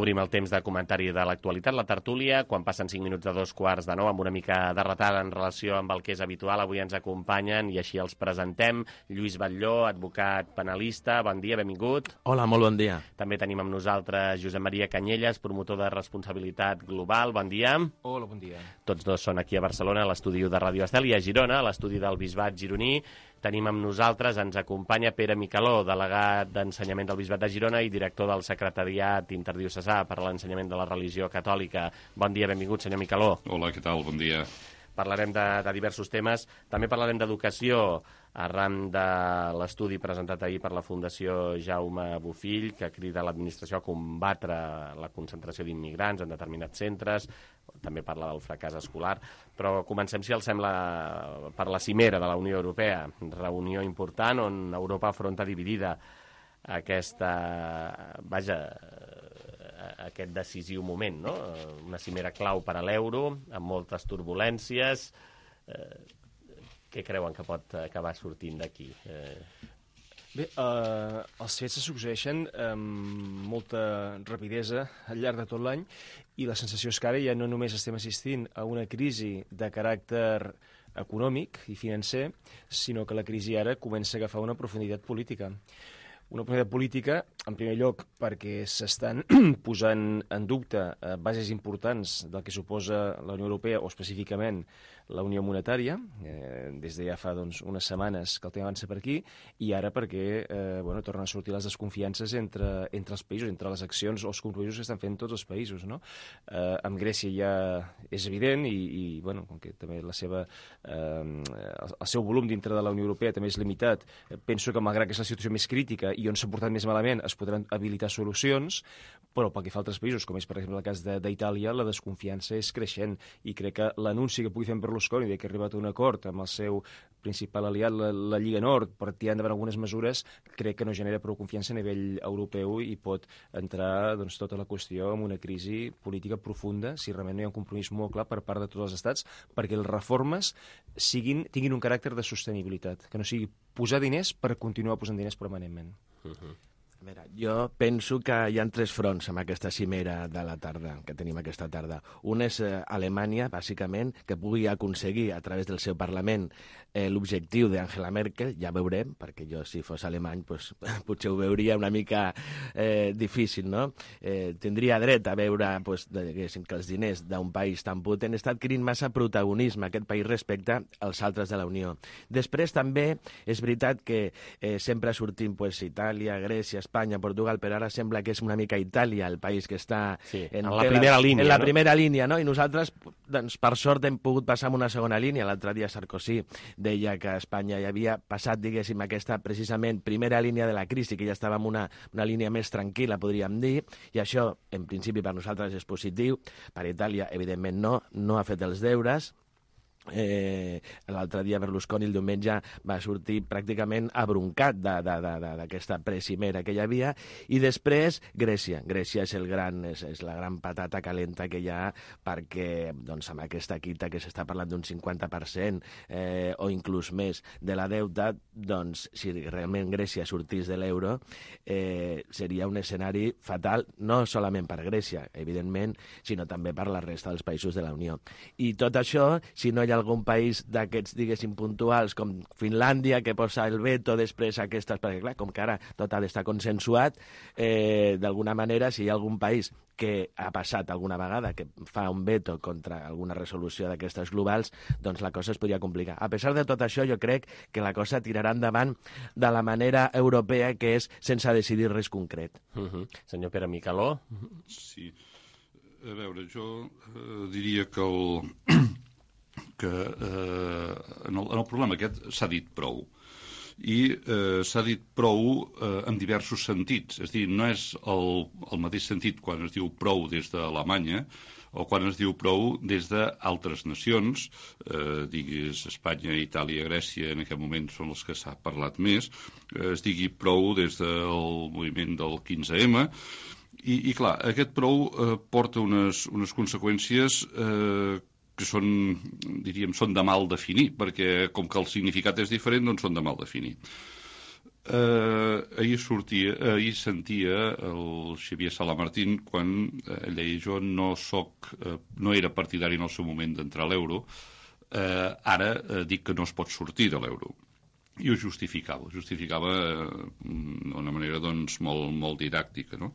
Obrim el temps de comentari de l'actualitat, la tertúlia, quan passen cinc minuts de dos quarts de nou, amb una mica de retard en relació amb el que és habitual. Avui ens acompanyen i així els presentem. Lluís Batlló, advocat penalista, bon dia, benvingut. Hola, molt bon dia. També tenim amb nosaltres Josep Maria Canyelles, promotor de responsabilitat global, bon dia. Hola, bon dia. Tots dos són aquí a Barcelona, a l'estudi de Ràdio Estel, i a Girona, a l'estudi del Bisbat gironí. Tenim amb nosaltres, ens acompanya Pere Micaló, delegat d'Ensenyament del Bisbat de Girona i director del Secretariat Interdiocesà per a l'Ensenyament de la Religió Catòlica. Bon dia, benvingut, senyor Micaló. Hola, què tal? Bon dia. Parlarem de, de diversos temes. També parlarem d'educació, arran de l'estudi presentat ahir per la Fundació Jaume Bofill, que crida l'administració a combatre la concentració d'immigrants en determinats centres. També parla del fracàs escolar, però comencem, si els sembla, per la cimera de la Unió Europea, reunió important on Europa afronta dividida aquesta, vaja, aquest decisiu moment, no? Una cimera clau per a l'euro, amb moltes turbulències. Què creuen que pot acabar sortint d'aquí? Bé, eh, els fets se succeeixen amb molta rapidesa al llarg de tot l'any i la sensació és que ara ja no només estem assistint a una crisi de caràcter econòmic i financer, sinó que la crisi ara comença a agafar una profunditat política. Una profunditat política, en primer lloc, perquè s'estan posant en dubte bases importants del que suposa la Unió Europea, o específicament la Unió Monetària, eh, des de ja fa doncs, unes setmanes que el tema avança per aquí, i ara perquè eh, bueno, tornen a sortir les desconfiances entre, entre els països, entre les accions o els compromisos que estan fent tots els països. No? Eh, amb Grècia ja és evident, i, i bueno, com que també la seva, eh, el seu volum dintre de la Unió Europea també és limitat, penso que malgrat que és la situació més crítica i on s'ha portat més malament es podran habilitar solucions, però pel que fa a altres països, com és per exemple el cas d'Itàlia, la desconfiança és creixent, i crec que l'anunci que pugui fer en Berlusconi de que ha arribat a un acord amb el seu principal aliat, la, la Lliga Nord, per tirar endavant algunes mesures, crec que no genera prou confiança a nivell europeu i pot entrar doncs, tota la qüestió en una crisi política profunda si realment no hi ha un compromís molt clar per part de tots els estats perquè les reformes siguin, tinguin un caràcter de sostenibilitat, que no sigui posar diners per continuar posant diners permanentment. Uh-huh. A veure, jo penso que hi ha tres fronts amb aquesta cimera de la tarda, que tenim aquesta tarda. Un és eh, Alemanya, bàsicament, que pugui aconseguir a través del seu Parlament eh, l'objectiu d'Angela Merkel, ja veurem, perquè jo si fos alemany pues, potser ho veuria una mica eh, difícil, no? Eh, tindria dret a veure pues, de, que els diners d'un país tan potent està adquirint massa protagonisme aquest país respecte als altres de la Unió. Després també és veritat que eh, sempre sortim pues, Itàlia, Grècia, Espanya, Portugal, però ara sembla que és una mica Itàlia el país que està sí, en, en la primera línia. En la no? primera línia, no? I nosaltres, doncs, per sort, hem pogut passar en una segona línia. L'altre dia Sarkozy deia que a Espanya hi havia passat, diguéssim, aquesta precisament primera línia de la crisi, que ja estava en una, una línia més tranquil·la, podríem dir, i això, en principi, per nosaltres és positiu. Per Itàlia, evidentment, no, no ha fet els deures. Eh, l'altre dia Berlusconi el diumenge va sortir pràcticament abroncat d'aquesta precimera que hi havia, i després Grècia Grècia és, el gran, és, és la gran patata calenta que hi ha, perquè doncs, amb aquesta quita que s'està parlant d'un cinquanta per cent eh, o inclús més de la deuta, doncs si realment Grècia sortís de l'euro eh, seria un escenari fatal, no solament per Grècia evidentment, sinó també per la resta dels països de la Unió. I tot això, si no hi ha algun país d'aquests, diguéssim, puntuals, com Finlàndia, que posa el veto després aquestes... Perquè, clar, com que ara tot ha d'estar consensuat, eh, d'alguna manera, si hi ha algun país que ha passat alguna vegada que fa un veto contra alguna resolució d'aquestes globals, doncs la cosa es podria complicar. A pesar de tot això, jo crec que la cosa tirarà endavant de la manera europea, que és sense decidir res concret. Uh-huh. Senyor Pere Micaló? Sí. A veure, jo eh, diria que el, que eh, en, el, en el problema aquest s'ha dit prou. I eh, s'ha dit prou eh, en diversos sentits. És a dir, no és el, el mateix sentit quan es diu prou des d'Alemanya o quan es diu prou des d'altres nacions, eh, diguis Espanya, Itàlia, Grècia, en aquest moment són els que s'ha parlat més, eh, es digui prou des del moviment del quinze ema, i, i clar, aquest prou eh, porta unes, unes conseqüències eh, que són, diríem, són de mal definir, perquè com que el significat és diferent, doncs són de mal definir. Eh, ahir sortia, ahir sentia el Xavier Salamartín quan ell deia jo no soc, eh, no era partidari en el seu moment d'entrar a l'euro, eh, ara eh, dic que no es pot sortir de l'euro. I ho justificava, ho justificava d'una manera doncs, molt, molt didàctica, no?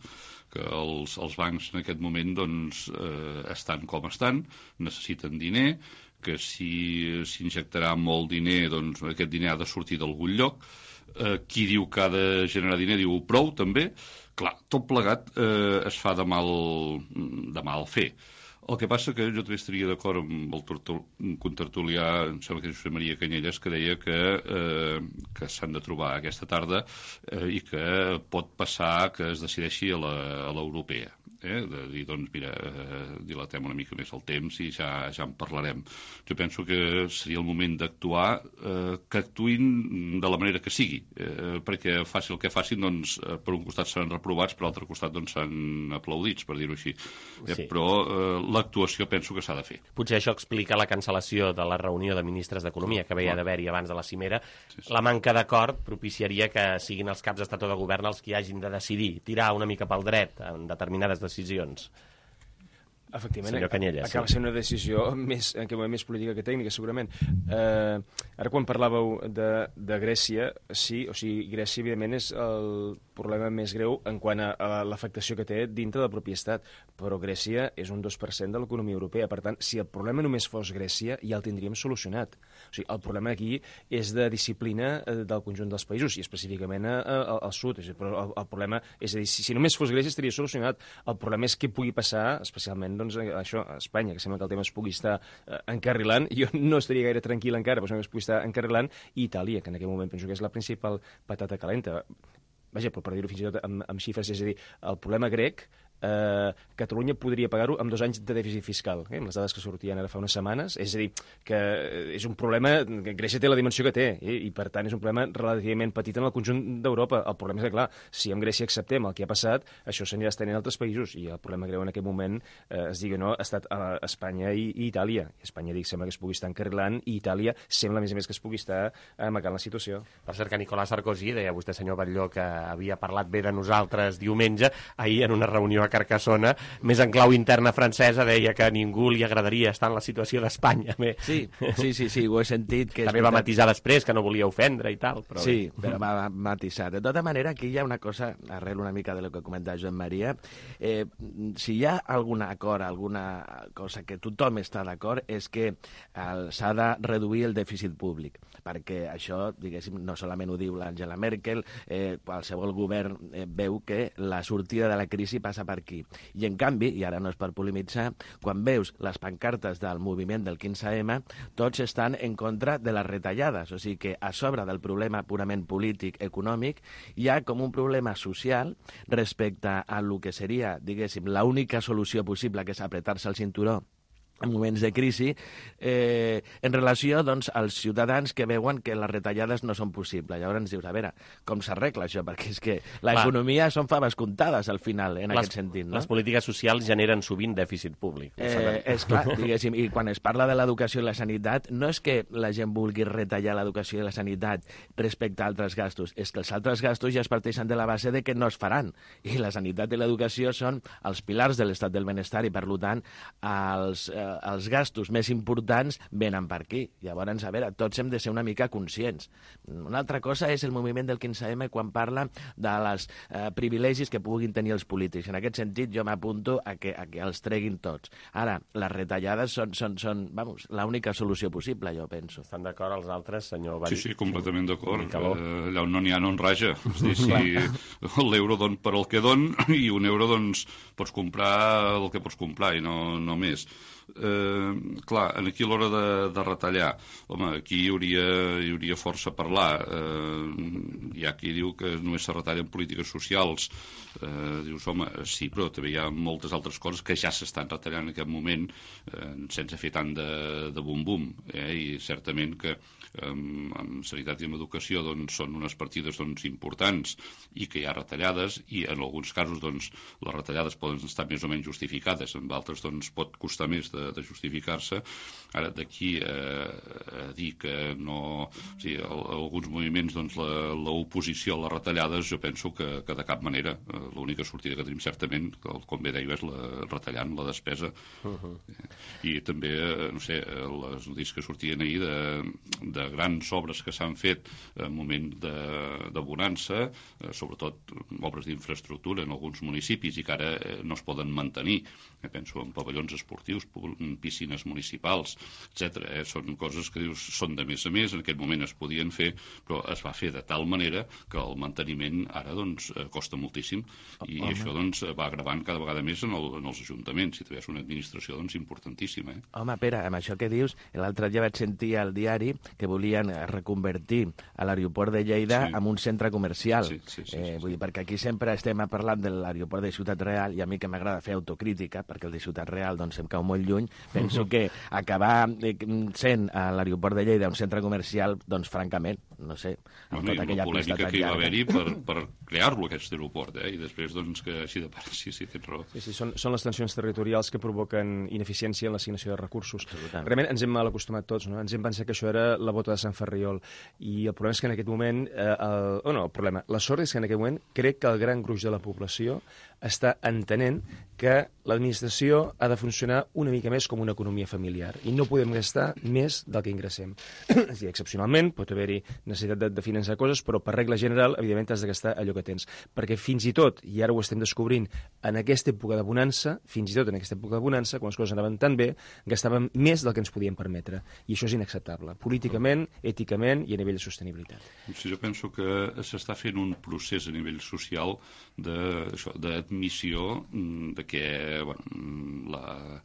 Que els, els bancs en aquest moment doncs, eh, estan com estan, necessiten diner, que si s'injectarà molt diner, doncs aquest diner ha de sortir d'algun lloc. Eh, qui diu que ha de generar diner diu prou, també. Clar, tot plegat eh, es fa de mal, de mal fer. El que passa que jo també estaria d'acord amb el contertulià, em sembla que és Josep Maria Canyelles, que deia que, eh, que s'han de trobar aquesta tarda eh, i que pot passar que es decideixi a l'europea. Eh? De dir, doncs, mira, eh, dilatem una mica més el temps i ja, ja en parlarem. Jo penso que seria el moment d'actuar, eh, que actuïn de la manera que sigui, eh, perquè faci el que facin, doncs, eh, per un costat seran reprovats, per l'altre costat doncs, seran aplaudits, per dir-ho així. Eh, sí. Però eh, l'actuació penso que s'ha de fer. Potser això explica la cancel·lació de la reunió de ministres d'Economia que havia d'haver-hi abans de la cimera. Sí, sí. La manca d'acord propiciaria que siguin els caps d'estat o de govern els que hagin de decidir, tirar una mica pel dret en determinades decisions. Efectivament, acaba sent una decisió més, en què més política que tècnica, segurament. Eh, ara, quan parlàveu de, de Grècia, sí, o sigui, Grècia, evidentment, és el problema més greu en quant a, a l'afectació que té dintre del propi estat, però Grècia és un dos per cent de l'economia europea. Per tant, si el problema només fos Grècia, ja el tindríem solucionat. O sigui, el problema aquí és de disciplina del conjunt dels països, i específicament a, a, al sud. És a dir, però el, el problema és a dir, si, si només fos Grècia estaria solucionat. El problema és què pugui passar, especialment doncs, això, a Espanya, que sembla que el tema es pugui estar eh, encarrilant. Jo no estaria gaire tranquil encara, però sembla que es pugui estar encarrilant. I Itàlia, que en aquest moment penso que és la principal patata calenta. Vaja, però per dir-ho fins i tot amb, amb xifres, és a dir, el problema grec, eh, Catalunya podria pagar-ho amb dos anys de dèficit fiscal, eh, amb les dades que sortien ara fa unes setmanes. És a dir, que és un problema, que Grècia té la dimensió que té, eh, i per tant és un problema relativament petit en el conjunt d'Europa. El problema és que, clar, si amb Grècia acceptem el que ha passat, això s'anirà estenent a altres països, i el problema greu en aquest moment, eh, es digui no, ha estat a Espanya i, i Itàlia. Espanya, dic, sembla que es pugui estar encarrilant, i Itàlia sembla, a més a més, que es pugui estar amagant la situació. Per cert, que Nicolas Sarkozy, deia vostè, senyor Batlló, que havia parlat bé de nosaltres diumenge, ahir en una reunió a Carcassona, més en clau interna francesa, deia que a ningú li agradaria estar en la situació d'Espanya. Sí, sí, sí, sí, ho he sentit. Que també va matisar després, que no volia ofendre i tal. Però sí, bé. Però va matisar. De tota manera, aquí hi ha una cosa, arrel una mica de lo que comentava Joan Maria, eh, si hi ha algun acord, alguna cosa que tothom està d'acord, és que s'ha de reduir el dèficit públic, perquè això, diguéssim, no solament ho diu l'Angela Merkel, eh, qualsevol govern eh, veu que la sortida de la crisi passa per aquí. I en canvi, i ara no és per polemitzar, quan veus les pancartes del moviment del quinze ema, tots estan en contra de les retallades. O sigui que a sobre del problema purament polític, econòmic, hi ha com un problema social respecte a lo que seria, diguéssim, l'única solució possible, que és apretar-se el cinturó en moments de crisi, eh, en relació doncs, als ciutadans que veuen que les retallades no són possibles. Llavors ens dius, a veure, com s'arregla això? Perquè és que l'economia són faves comptades al final, en les, aquest sentit. No? Les polítiques socials generen sovint dèficit públic. Eh, és clar, diguéssim, i quan es parla de l'educació i la sanitat, no és que la gent vulgui retallar l'educació i la sanitat respecte a altres gastos, és que els altres gastos ja es parteixen de la base de que no es faran. I la sanitat i l'educació són els pilars de l'estat del benestar i, per tant, els eh, els gastos més importants venen per aquí. Llavors, a veure, tots hem de ser una mica conscients. Una altra cosa és el moviment del quinze eme quan parla de les eh, privilegis que puguin tenir els polítics. En aquest sentit, jo m'apunto a que, a que els treguin tots. Ara, les retallades són, són, són vamos, l'única solució possible, jo penso. Estan d'acord els altres, senyor Barí? Sí, sí, completament d'acord. Eh, allà on no n'hi ha no en raja. És dir, si l'euro don per el que don i un euro, doncs, pots comprar el que pots comprar i no, no més. Eh, clar, aquí a l'hora de, de retallar, home, aquí hi hauria, hi hauria força a parlar. Eh, hi ha qui diu que només se retallen polítiques socials. Eh, dius, home, sí, però també hi ha moltes altres coses que ja s'estan retallant en aquest moment eh, sense fer tant de, de bum-bum. Eh? I certament que eh, en sanitat i en educació doncs, són unes partides doncs, importants i que hi ha retallades i en alguns casos doncs, les retallades poden estar més o menys justificades, en altres doncs, pot costar més de, de justificar-se. Ara, d'aquí eh, a dir que no... O sigui, alguns moviments, doncs, l'oposició a les retallades, jo penso que, que de cap manera. Eh, l'única sortida que tenim certament, com bé deia, és la, retallant la despesa. Uh-huh. I també, no sé, les notícies que sortien ahir de, de grans obres que s'han fet en moment de, de bonança, eh, sobretot obres d'infraestructura en alguns municipis i que ara eh, no es poden mantenir. Eh, penso en pavellons esportius, piscines municipals, etcètera. Eh? Són coses que dius són de més a més, en aquest moment es podien fer, però es va fer de tal manera que el manteniment ara doncs, costa moltíssim i Home. això doncs, va agravant cada vegada més en, el, en els ajuntaments. Si és una administració doncs, importantíssima. Eh? Home, Pere, amb això que dius, l'altre dia vaig sentir al diari que volien reconvertir a l'aeroport de Lleida sí. en un centre comercial. Sí, sí, sí, eh, sí, vull dir, perquè aquí sempre estem parlant de l'aeroport de Ciutat Real i a mi que m'agrada fer autocrítica, perquè el de Ciutat Real doncs, em cau molt lluny, penso uh -huh. que acabar sent a l'aeroport de Lleida un centre comercial, doncs francament, no sé, amb bueno, tota aquella polèmica que hi va haver-hi per, per crear-lo, aquest aeroport, eh? I després, doncs, que així de part, sí, sí, tens raó. Sí, sí, són, són les tensions territorials que provoquen ineficiència en l'assignació de recursos. Realment ens hem mal acostumat tots, no? Ens hem pensat que això era la bota de Sant Ferriol. I el problema és que en aquest moment, eh, el, oh no, el problema, la sort és que en aquest moment crec que el gran gruix de la població està entenent que l'administració ha de funcionar una mica més com una economia familiar i no podem gastar més del que ingressem. És dir, excepcionalment pot haver-hi necessitat de, de finançar coses, però per regla general, evidentment, has de gastar allò que tens. Perquè fins i tot, i ara ho estem descobrint, en aquesta època de bonança, fins i tot en aquesta època de bonança, quan les coses anaven tan bé, gastàvem més del que ens podíem permetre. I això és inacceptable, políticament, èticament i a nivell de sostenibilitat. Sí, jo penso que s'està fent un procés a nivell social d'admissió de que bueno, la,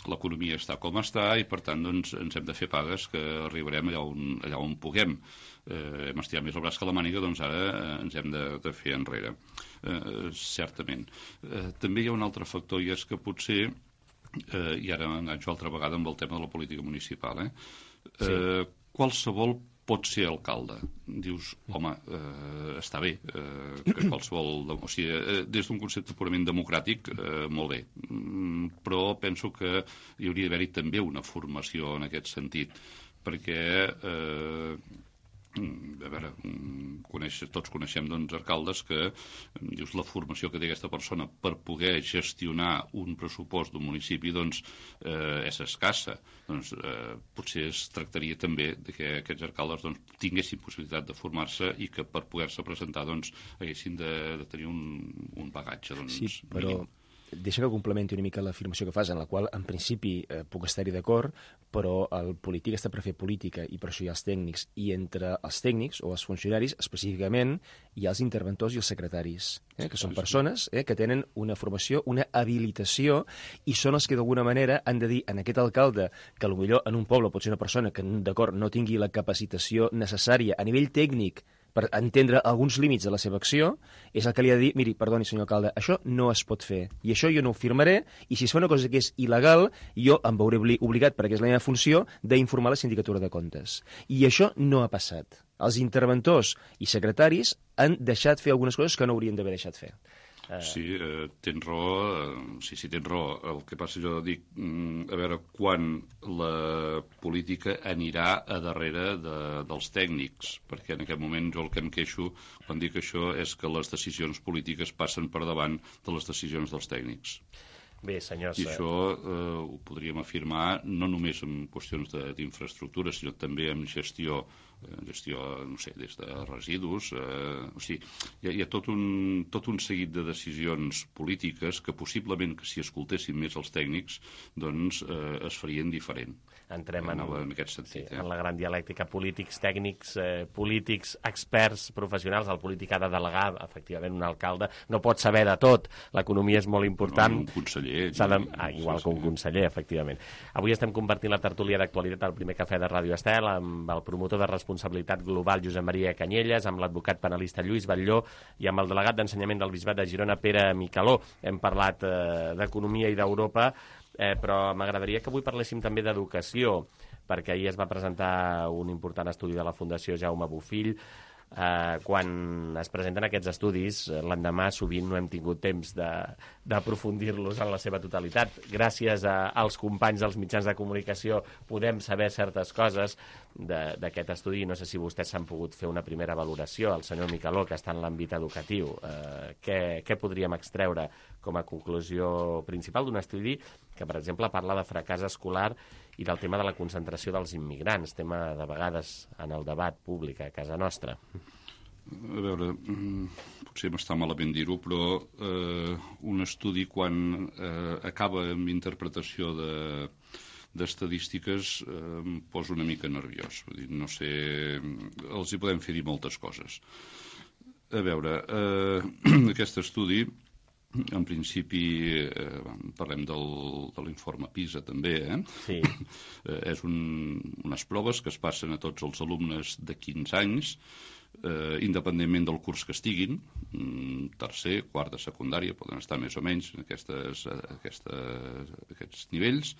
l'economia està com està i, per tant, doncs, ens hem de fer pagues que arribarem allà on, allà on puguem. Eh, hem estirat més el braç que la màniga, doncs ara eh, ens hem de, de fer enrere. Eh, certament. Eh, també hi ha un altre factor, i és que potser, eh, i ara m'enganxo altra vegada amb el tema de la política municipal, eh? Eh, sí. Qualsevol pot ser alcalde. Dius, home, eh, està bé, eh, que qualsevol... O sigui, eh, des d'un concepte purament democràtic, eh, molt bé. Mm, però penso que hi hauria d'haver-hi també una formació en aquest sentit, perquè... Eh, a veure, coneix, tots coneixem doncs, alcaldes que dius, la formació que té aquesta persona per poder gestionar un pressupost d'un municipi doncs, eh, és escassa. Doncs, eh, potser es tractaria també de que aquests alcaldes doncs, tinguessin possibilitat de formar-se i que per poder-se presentar doncs, haguessin de, de tenir un, un bagatge doncs, sí, però... mínim. Deixa que complementi una mica l'afirmació que fas, en la qual, en principi, eh, puc estar-hi d'acord, però el polític està per fer política i per això hi ha els tècnics. I entre els tècnics o els funcionaris, específicament, hi ha els interventors i els secretaris, eh, que són persones eh, que tenen una formació, una habilitació, i són els que d'alguna manera han de dir en aquest alcalde que potser en un poble pot ser una persona que, d'acord, no tingui la capacitació necessària a nivell tècnic per entendre alguns límits de la seva acció, és el que li ha de dir, miri, perdoni, senyor alcalde, això no es pot fer, i això jo no ho firmaré, i si es fa una cosa que és il·legal, jo em veuré obligat, perquè és la meva funció, d'informar la sindicatura de comptes. I això no ha passat. Els interventors i secretaris han deixat fer algunes coses que no haurien d'haver deixat fer. Sí, eh, tens raó, eh, sí, sí, tens raó. El que passa, jo dic, mm, a veure, quan la política anirà a darrere de, dels tècnics, perquè en aquest moment jo el que em queixo quan dic això és que les decisions polítiques passen per davant de les decisions dels tècnics. Bé, senyors... I això eh, ho podríem afirmar no només en qüestions d'infraestructura, sinó també en gestió, eh, gestió, no sé, des de residus. Eh, o sigui, hi ha, hi ha tot, un, tot un seguit de decisions polítiques que possiblement, que si escoltessin més els tècnics, doncs eh, es farien diferent. Entrem en, en, en aquest sentit. Sí, eh? en la gran dialèctica, polítics, tècnics, eh, polítics, experts, professionals. El polític ha de delegar, efectivament, un alcalde. No pot saber de tot. L'economia és molt important. No, un conseller. De... Ah, igual que un conseller, efectivament. Avui estem compartint la tertúlia d'actualitat al primer cafè de Ràdio Estel amb el promotor de responsabilitat global Josep Maria Canyelles, amb l'advocat penalista Lluís Batlló i amb el delegat d'ensenyament del Bisbat de Girona, Pere Micaló. Hem parlat eh, d'economia i d'Europa, eh, però m'agradaria que avui parléssim també d'educació, perquè ahir es va presentar un important estudi de la Fundació Jaume Bofill. Eh, quan es presenten aquests estudis, l'endemà sovint no hem tingut temps d'aprofundir-los en la seva totalitat. Gràcies a, als companys dels mitjans de comunicació podem saber certes coses d'aquest estudi. No sé si vostès s'han pogut fer una primera valoració. El senyor Micaló, que està en l'àmbit educatiu, eh, què, què podríem extreure com a conclusió principal d'un estudi que, per exemple, parla de fracàs escolar i del tema de la concentració dels immigrants, tema de vegades en el debat públic a casa nostra? A veure, potser m'està malament dir-ho, però eh, un estudi quan eh, acaba amb interpretació de d'estadístiques eh, em posa una mica nerviós. Vull dir, no sé, els hi podem fer dir moltes coses. A veure, eh, aquest estudi, en principi, eh, parlem del, de l'informe PISA també, eh? Sí. eh, és un, unes proves que es passen a tots els alumnes de quinze anys, eh, independentment del curs que estiguin, tercer, quart de secundària, poden estar més o menys en aquestes, aquestes, aquests nivells,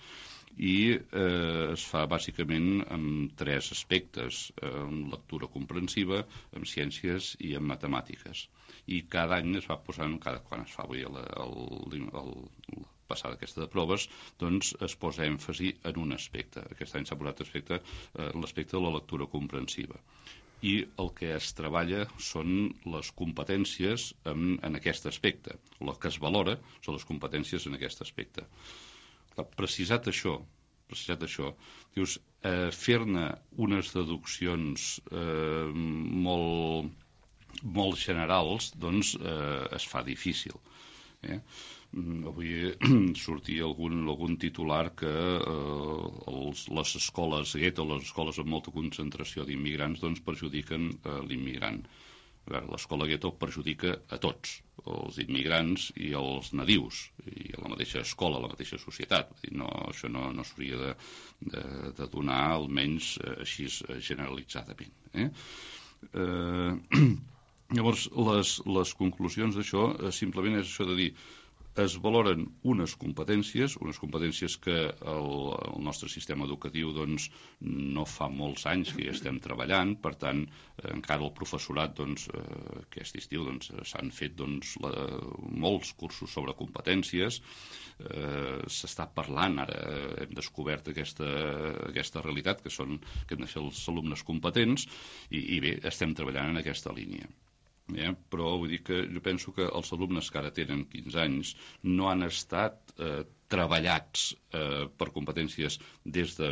i eh, es fa bàsicament amb tres aspectes, amb lectura comprensiva, amb ciències i amb matemàtiques. I cada any es va posant, cada, quan es fa avui el, el, el, el passada aquesta de proves, doncs es posa èmfasi en un aspecte. Aquest any s'ha posat aspecte, eh, l'aspecte de la lectura comprensiva. I el que es treballa són les competències en, en aquest aspecte. El que es valora són les competències en aquest aspecte. Clar, precisat això, precisat això, dius, eh, fer-ne unes deduccions eh, molt, molt generals, doncs eh, es fa difícil. Eh? Avui sortia algun, algun titular que eh, els, les escoles gueto, les escoles amb molta concentració d'immigrants, doncs perjudiquen eh, l'immigrant. L'escola gueto perjudica a tots, els immigrants i els nadius, i a la mateixa escola, a la mateixa societat. No, això no, no s'hauria de, de, de donar, almenys així generalitzadament. Eh? Eh, llavors, les, les conclusions d'això eh, simplement és això de dir, es valoren unes competències, unes competències que el, el nostre sistema educatiu doncs, no fa molts anys que hi estem treballant, per tant, eh, encara el professorat doncs, eh, aquest estiu doncs, s'han fet doncs, la, molts cursos sobre competències, eh, s'està parlant, ara hem descobert aquesta, aquesta realitat, que són que han de ser els alumnes competents, i, i bé, estem treballant en aquesta línia. Eh? Però vull dir que jo penso que els alumnes que ara tenen quinze anys no han estat eh, treballats eh, per competències des de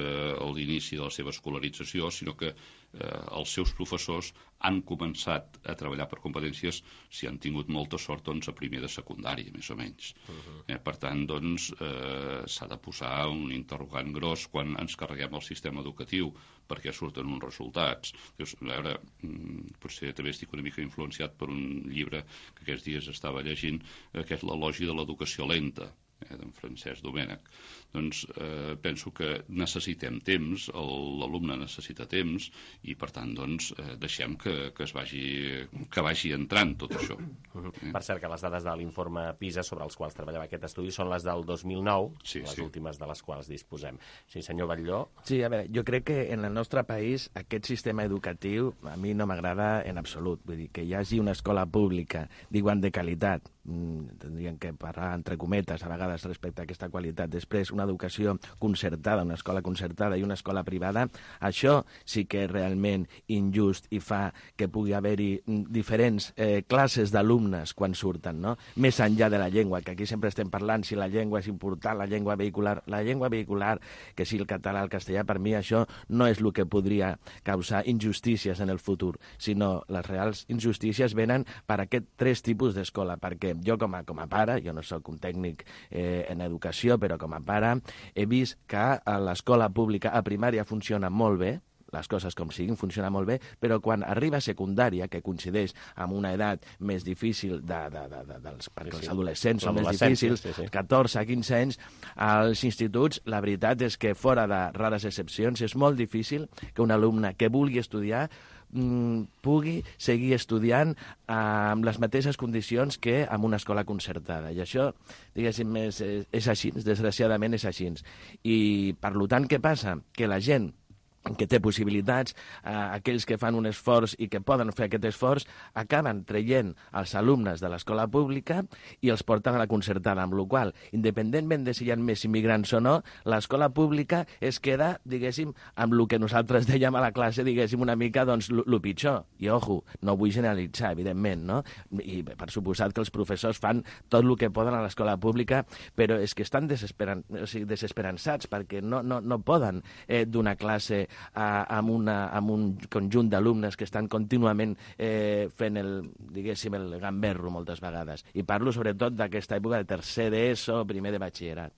l'inici de la seva escolarització, sinó que eh, els seus professors han començat a treballar per competències, si han tingut molta sort, doncs, a primer de secundària, més o menys. Uh-huh. eh, per tant, doncs, eh, s'ha de posar un interrogant gros quan ens carreguem el sistema educatiu, perquè surten uns resultats. Dius, a veure, potser també estic una mica influenciat per un llibre que aquests dies estava llegint, que és l'elogi de l'educació lenta, eh, d'en Francesc Domènech. Doncs eh, penso que necessitem temps, l'alumne necessita temps, i per tant doncs, eh, deixem que, que, es vagi, que vagi entrant tot això. Uh-huh. eh? Per cert, que les dades de l'informe PISA sobre els quals treballava aquest estudi són les del dos mil nou, sí, les sí. últimes de les quals disposem. Sí, senyor Batlló? Sí, a veure, jo crec que en el nostre país aquest sistema educatiu a mi no m'agrada en absolut. Vull dir, que hi hagi una escola pública d'igual de qualitat tindrien que parlar entre cometes a vegades respecte a aquesta qualitat. Després, una educació concertada, una escola concertada i una escola privada, això sí que és realment injust i fa que pugui haver-hi diferents eh, classes d'alumnes quan surten, no? Més enllà de la llengua, que aquí sempre estem parlant si la llengua és important, la llengua vehicular. La llengua vehicular, que sí el català, el castellà, per mi això no és el que podria causar injustícies en el futur, sinó les reals injustícies venen per aquest tres tipus d'escola, perquè jo com a, com a pare, jo no sóc un tècnic eh, en educació, però com a pare he vist que a l'escola pública a primària funciona molt bé, les coses com siguin, funciona molt bé, però quan arriba a secundària, que coincideix amb una edat més difícil de, de, de, de, dels, perquè sí, sí. els adolescents són més difícils, sí, sí. catorze a quinze anys, als instituts, la veritat és que fora de rares excepcions és molt difícil que un alumne que vulgui estudiar pugui seguir estudiant amb les mateixes condicions que en una escola concertada. I això, diguéssim, és, és així, desgraciadament és així. I, per tant, què passa? Que la gent que té possibilitats, eh, aquells que fan un esforç i que poden fer aquest esforç, acaben traient els alumnes de l'escola pública i els porten a la concertada, amb la qual cosa, independentment de si hi ha més immigrants o no, l'escola pública es queda, diguéssim, amb el que nosaltres dèiem a la classe, diguéssim, una mica, doncs, el pitjor. I, ojo, no vull generalitzar, evidentment, no? I, per suposat que els professors fan tot el que poden a l'escola pública, però és que estan desesperan... o sigui, desesperançats perquè no, no, no poden eh, donar classe A, amb, una, amb un conjunt d'alumnes que estan contínuament eh, fent el, diguéssim, el gamberro moltes vegades. I parlo sobretot d'aquesta època de tercer d'ESO, primer de batxillerat.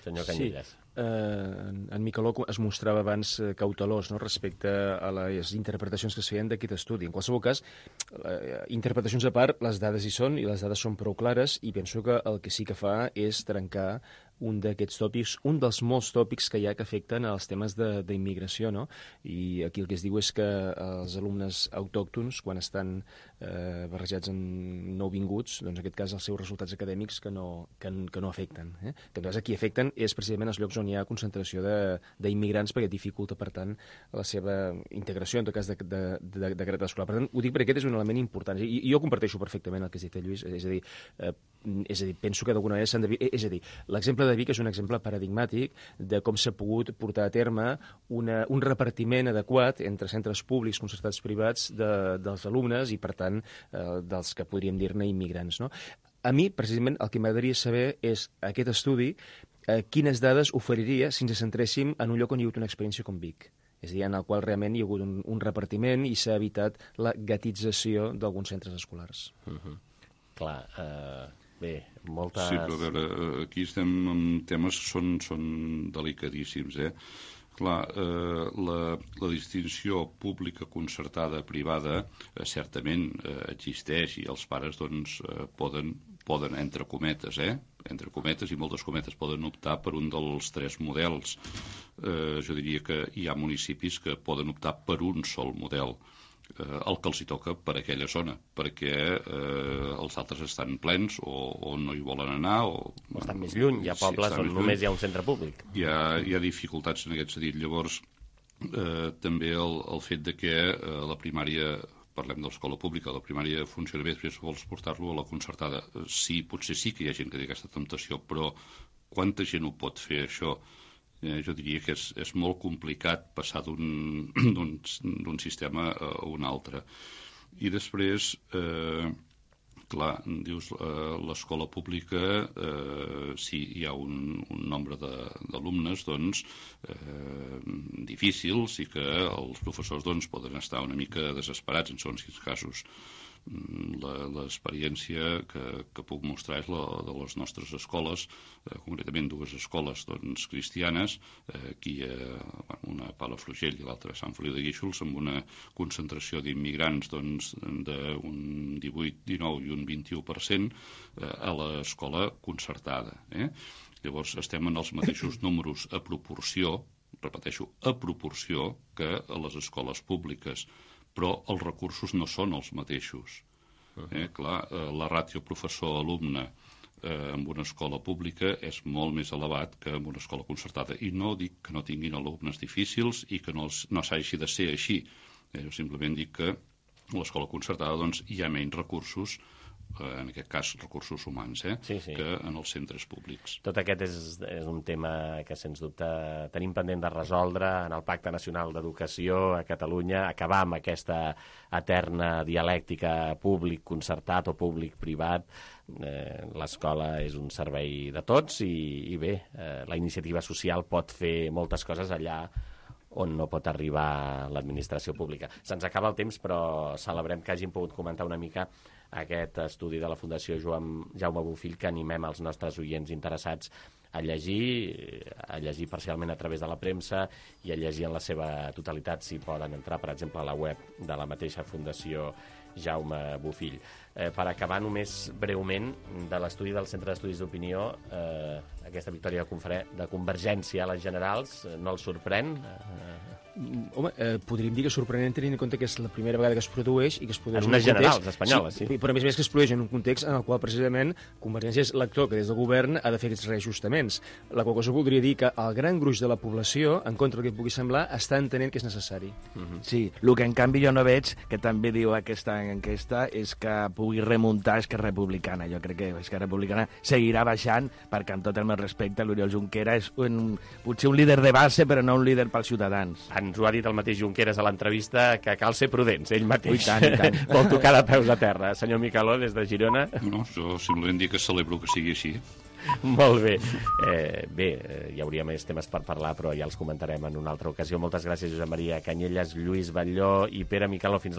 Senyor Canyelles. Sí. Eh, en, en Miqueló es mostrava abans eh, cautelós, no?, respecte a les interpretacions que es feien d'aquest estudi. En qualsevol cas, eh, interpretacions a part, les dades hi són i les dades són prou clares i penso que el que sí que fa és trencar un d'aquests tòpics, un dels molts tòpics que hi ha que afecten als temes d'immigració, no? I aquí el que es diu és que els alumnes autòctons, quan estan eh, barrejats amb nouvinguts, doncs en aquest cas els seus resultats acadèmics que no, que, que no afecten. Eh? Que en tot cas aquí afecten és precisament els llocs on hi ha concentració d'immigrants perquè dificulta, per tant, la seva integració, en tot cas, de, de, de, de caràcter escolar. Per tant, ho dic perquè aquest és un element important. I, i jo comparteixo perfectament el que has dit, Lluís. És a dir, eh, és a dir penso que d'alguna manera s'han de... És a dir, l'exemple de Vic és un exemple paradigmàtic de com s'ha pogut portar a terme una, un repartiment adequat entre centres públics, concertats, privats de, dels alumnes i, per tant, eh, dels que podríem dir-ne immigrants, no? A mi, precisament, el que m'agradaria saber és aquest estudi, eh, quines dades oferiria si ens centréssim en un lloc on hi ha hagut una experiència com Vic. És a dir, en el qual realment hi ha hagut un, un repartiment i s'ha evitat la gatització d'alguns centres escolars. Uh -huh. Clar, eh... Bé, moltes... Sí, però a veure, aquí estem amb temes que són, són delicadíssims, eh? Clar, eh, la, la distinció pública, concertada, privada, eh, certament eh, existeix i els pares, doncs, eh, poden, poden, entre cometes, eh? entre cometes i moltes cometes, poden optar per un dels tres models. Eh, jo diria que hi ha municipis que poden optar per un sol model, eh, el que els hi toca per aquella zona, perquè eh, els altres estan plens o, o no hi volen anar o, o estan més lluny, hi ha pobles sí, on només hi ha un centre públic. Hi ha, hi ha dificultats en aquest sentit. Llavors, eh, també el, el fet de que eh, la primària, parlem de l'escola pública, la primària funciona bé, després vols portar-lo a la concertada. Sí, potser sí que hi ha gent que té aquesta temptació, però quanta gent ho pot fer, això? Eh, jo diria que és, és molt complicat passar d'un sistema a un altre. I després, eh, clar, dius, eh, l'escola pública, eh, si hi ha un, un nombre d'alumnes, doncs, eh, difícils i que els professors, doncs, poden estar una mica desesperats en segons quins casos. L'experiència que, que puc mostrar és la de les nostres escoles, eh, concretament dues escoles doncs, cristianes, eh, aquí eh, una a Palafrugell i l'altra a Sant Feliu de Guíxols, amb una concentració d'immigrants doncs, d'un divuit, dinou i un vint-i-u per cent eh, a l'escola concertada. Eh? Llavors estem en els mateixos números a proporció, repeteixo, a proporció que a les escoles públiques, però els recursos no són els mateixos. Eh, clar, eh, la ràtio professor-alumne eh, en una escola pública és molt més elevat que en una escola concertada. I no dic que no tinguin alumnes difícils i que no, els, no s'hagi de ser així. Eh, jo simplement dic que a l'escola concertada doncs, hi ha menys recursos en aquest cas recursos humans, eh? sí, sí. que en els centres públics. Tot aquest és, és un tema que, sens dubte, tenim pendent de resoldre en el Pacte Nacional d'Educació a Catalunya, acabar amb aquesta eterna dialèctica públic-concertat o públic-privat. Eh, l'escola és un servei de tots i, i bé, eh, la iniciativa social pot fer moltes coses allà on no pot arribar l'administració pública. Se'ns acaba el temps, però celebrem que hàgim pogut comentar una mica aquest estudi de la Fundació Joan, Jaume Bofill, que animem els nostres oients interessats a llegir, a llegir parcialment a través de la premsa i a llegir en la seva totalitat, si poden entrar, per exemple, a la web de la mateixa Fundació Jaume Bofill. Eh, per acabar només breument de l'estudi del Centre d'Estudis d'Opinió, eh, aquesta victòria de, de Convergència a les generals, eh, no els sorprèn? Eh, Home, eh, podríem dir que és sorprenent tenint en compte que és la primera vegada que es produeix i que es produeix en unes unes generals espanyoles, sí, sí. Però a més a més que es produeix en un context en el qual precisament Convergència és l'actor que des del govern ha de fer aquests reajustaments. La qual cosa voldria dir que el gran gruix de la població, en contra del que pugui semblar, està entenent que és necessari. Mm-hmm. Sí, el que en canvi jo no veig, que també diu aquesta enquesta, és que pugui remuntar Esquerra Republicana. Jo crec que Esquerra Republicana seguirà baixant perquè, amb tot el meu respecte, l'Oriol Junqueras és un, potser un líder de base, però no un líder pels ciutadans. Ens ho ha dit el mateix Junqueras a l'entrevista, que cal ser prudents, ell mateix. I tant, i tant. Vol tocar de peus a terra. Senyor Micaló, des de Girona. No, jo simplement dic que celebro que sigui així. Molt bé. Eh, bé, eh, hi hauria més temes per parlar, però ja els comentarem en una altra ocasió. Moltes gràcies, Josep Maria Canyelles, Lluís Batlló i Pere Micaló. Fins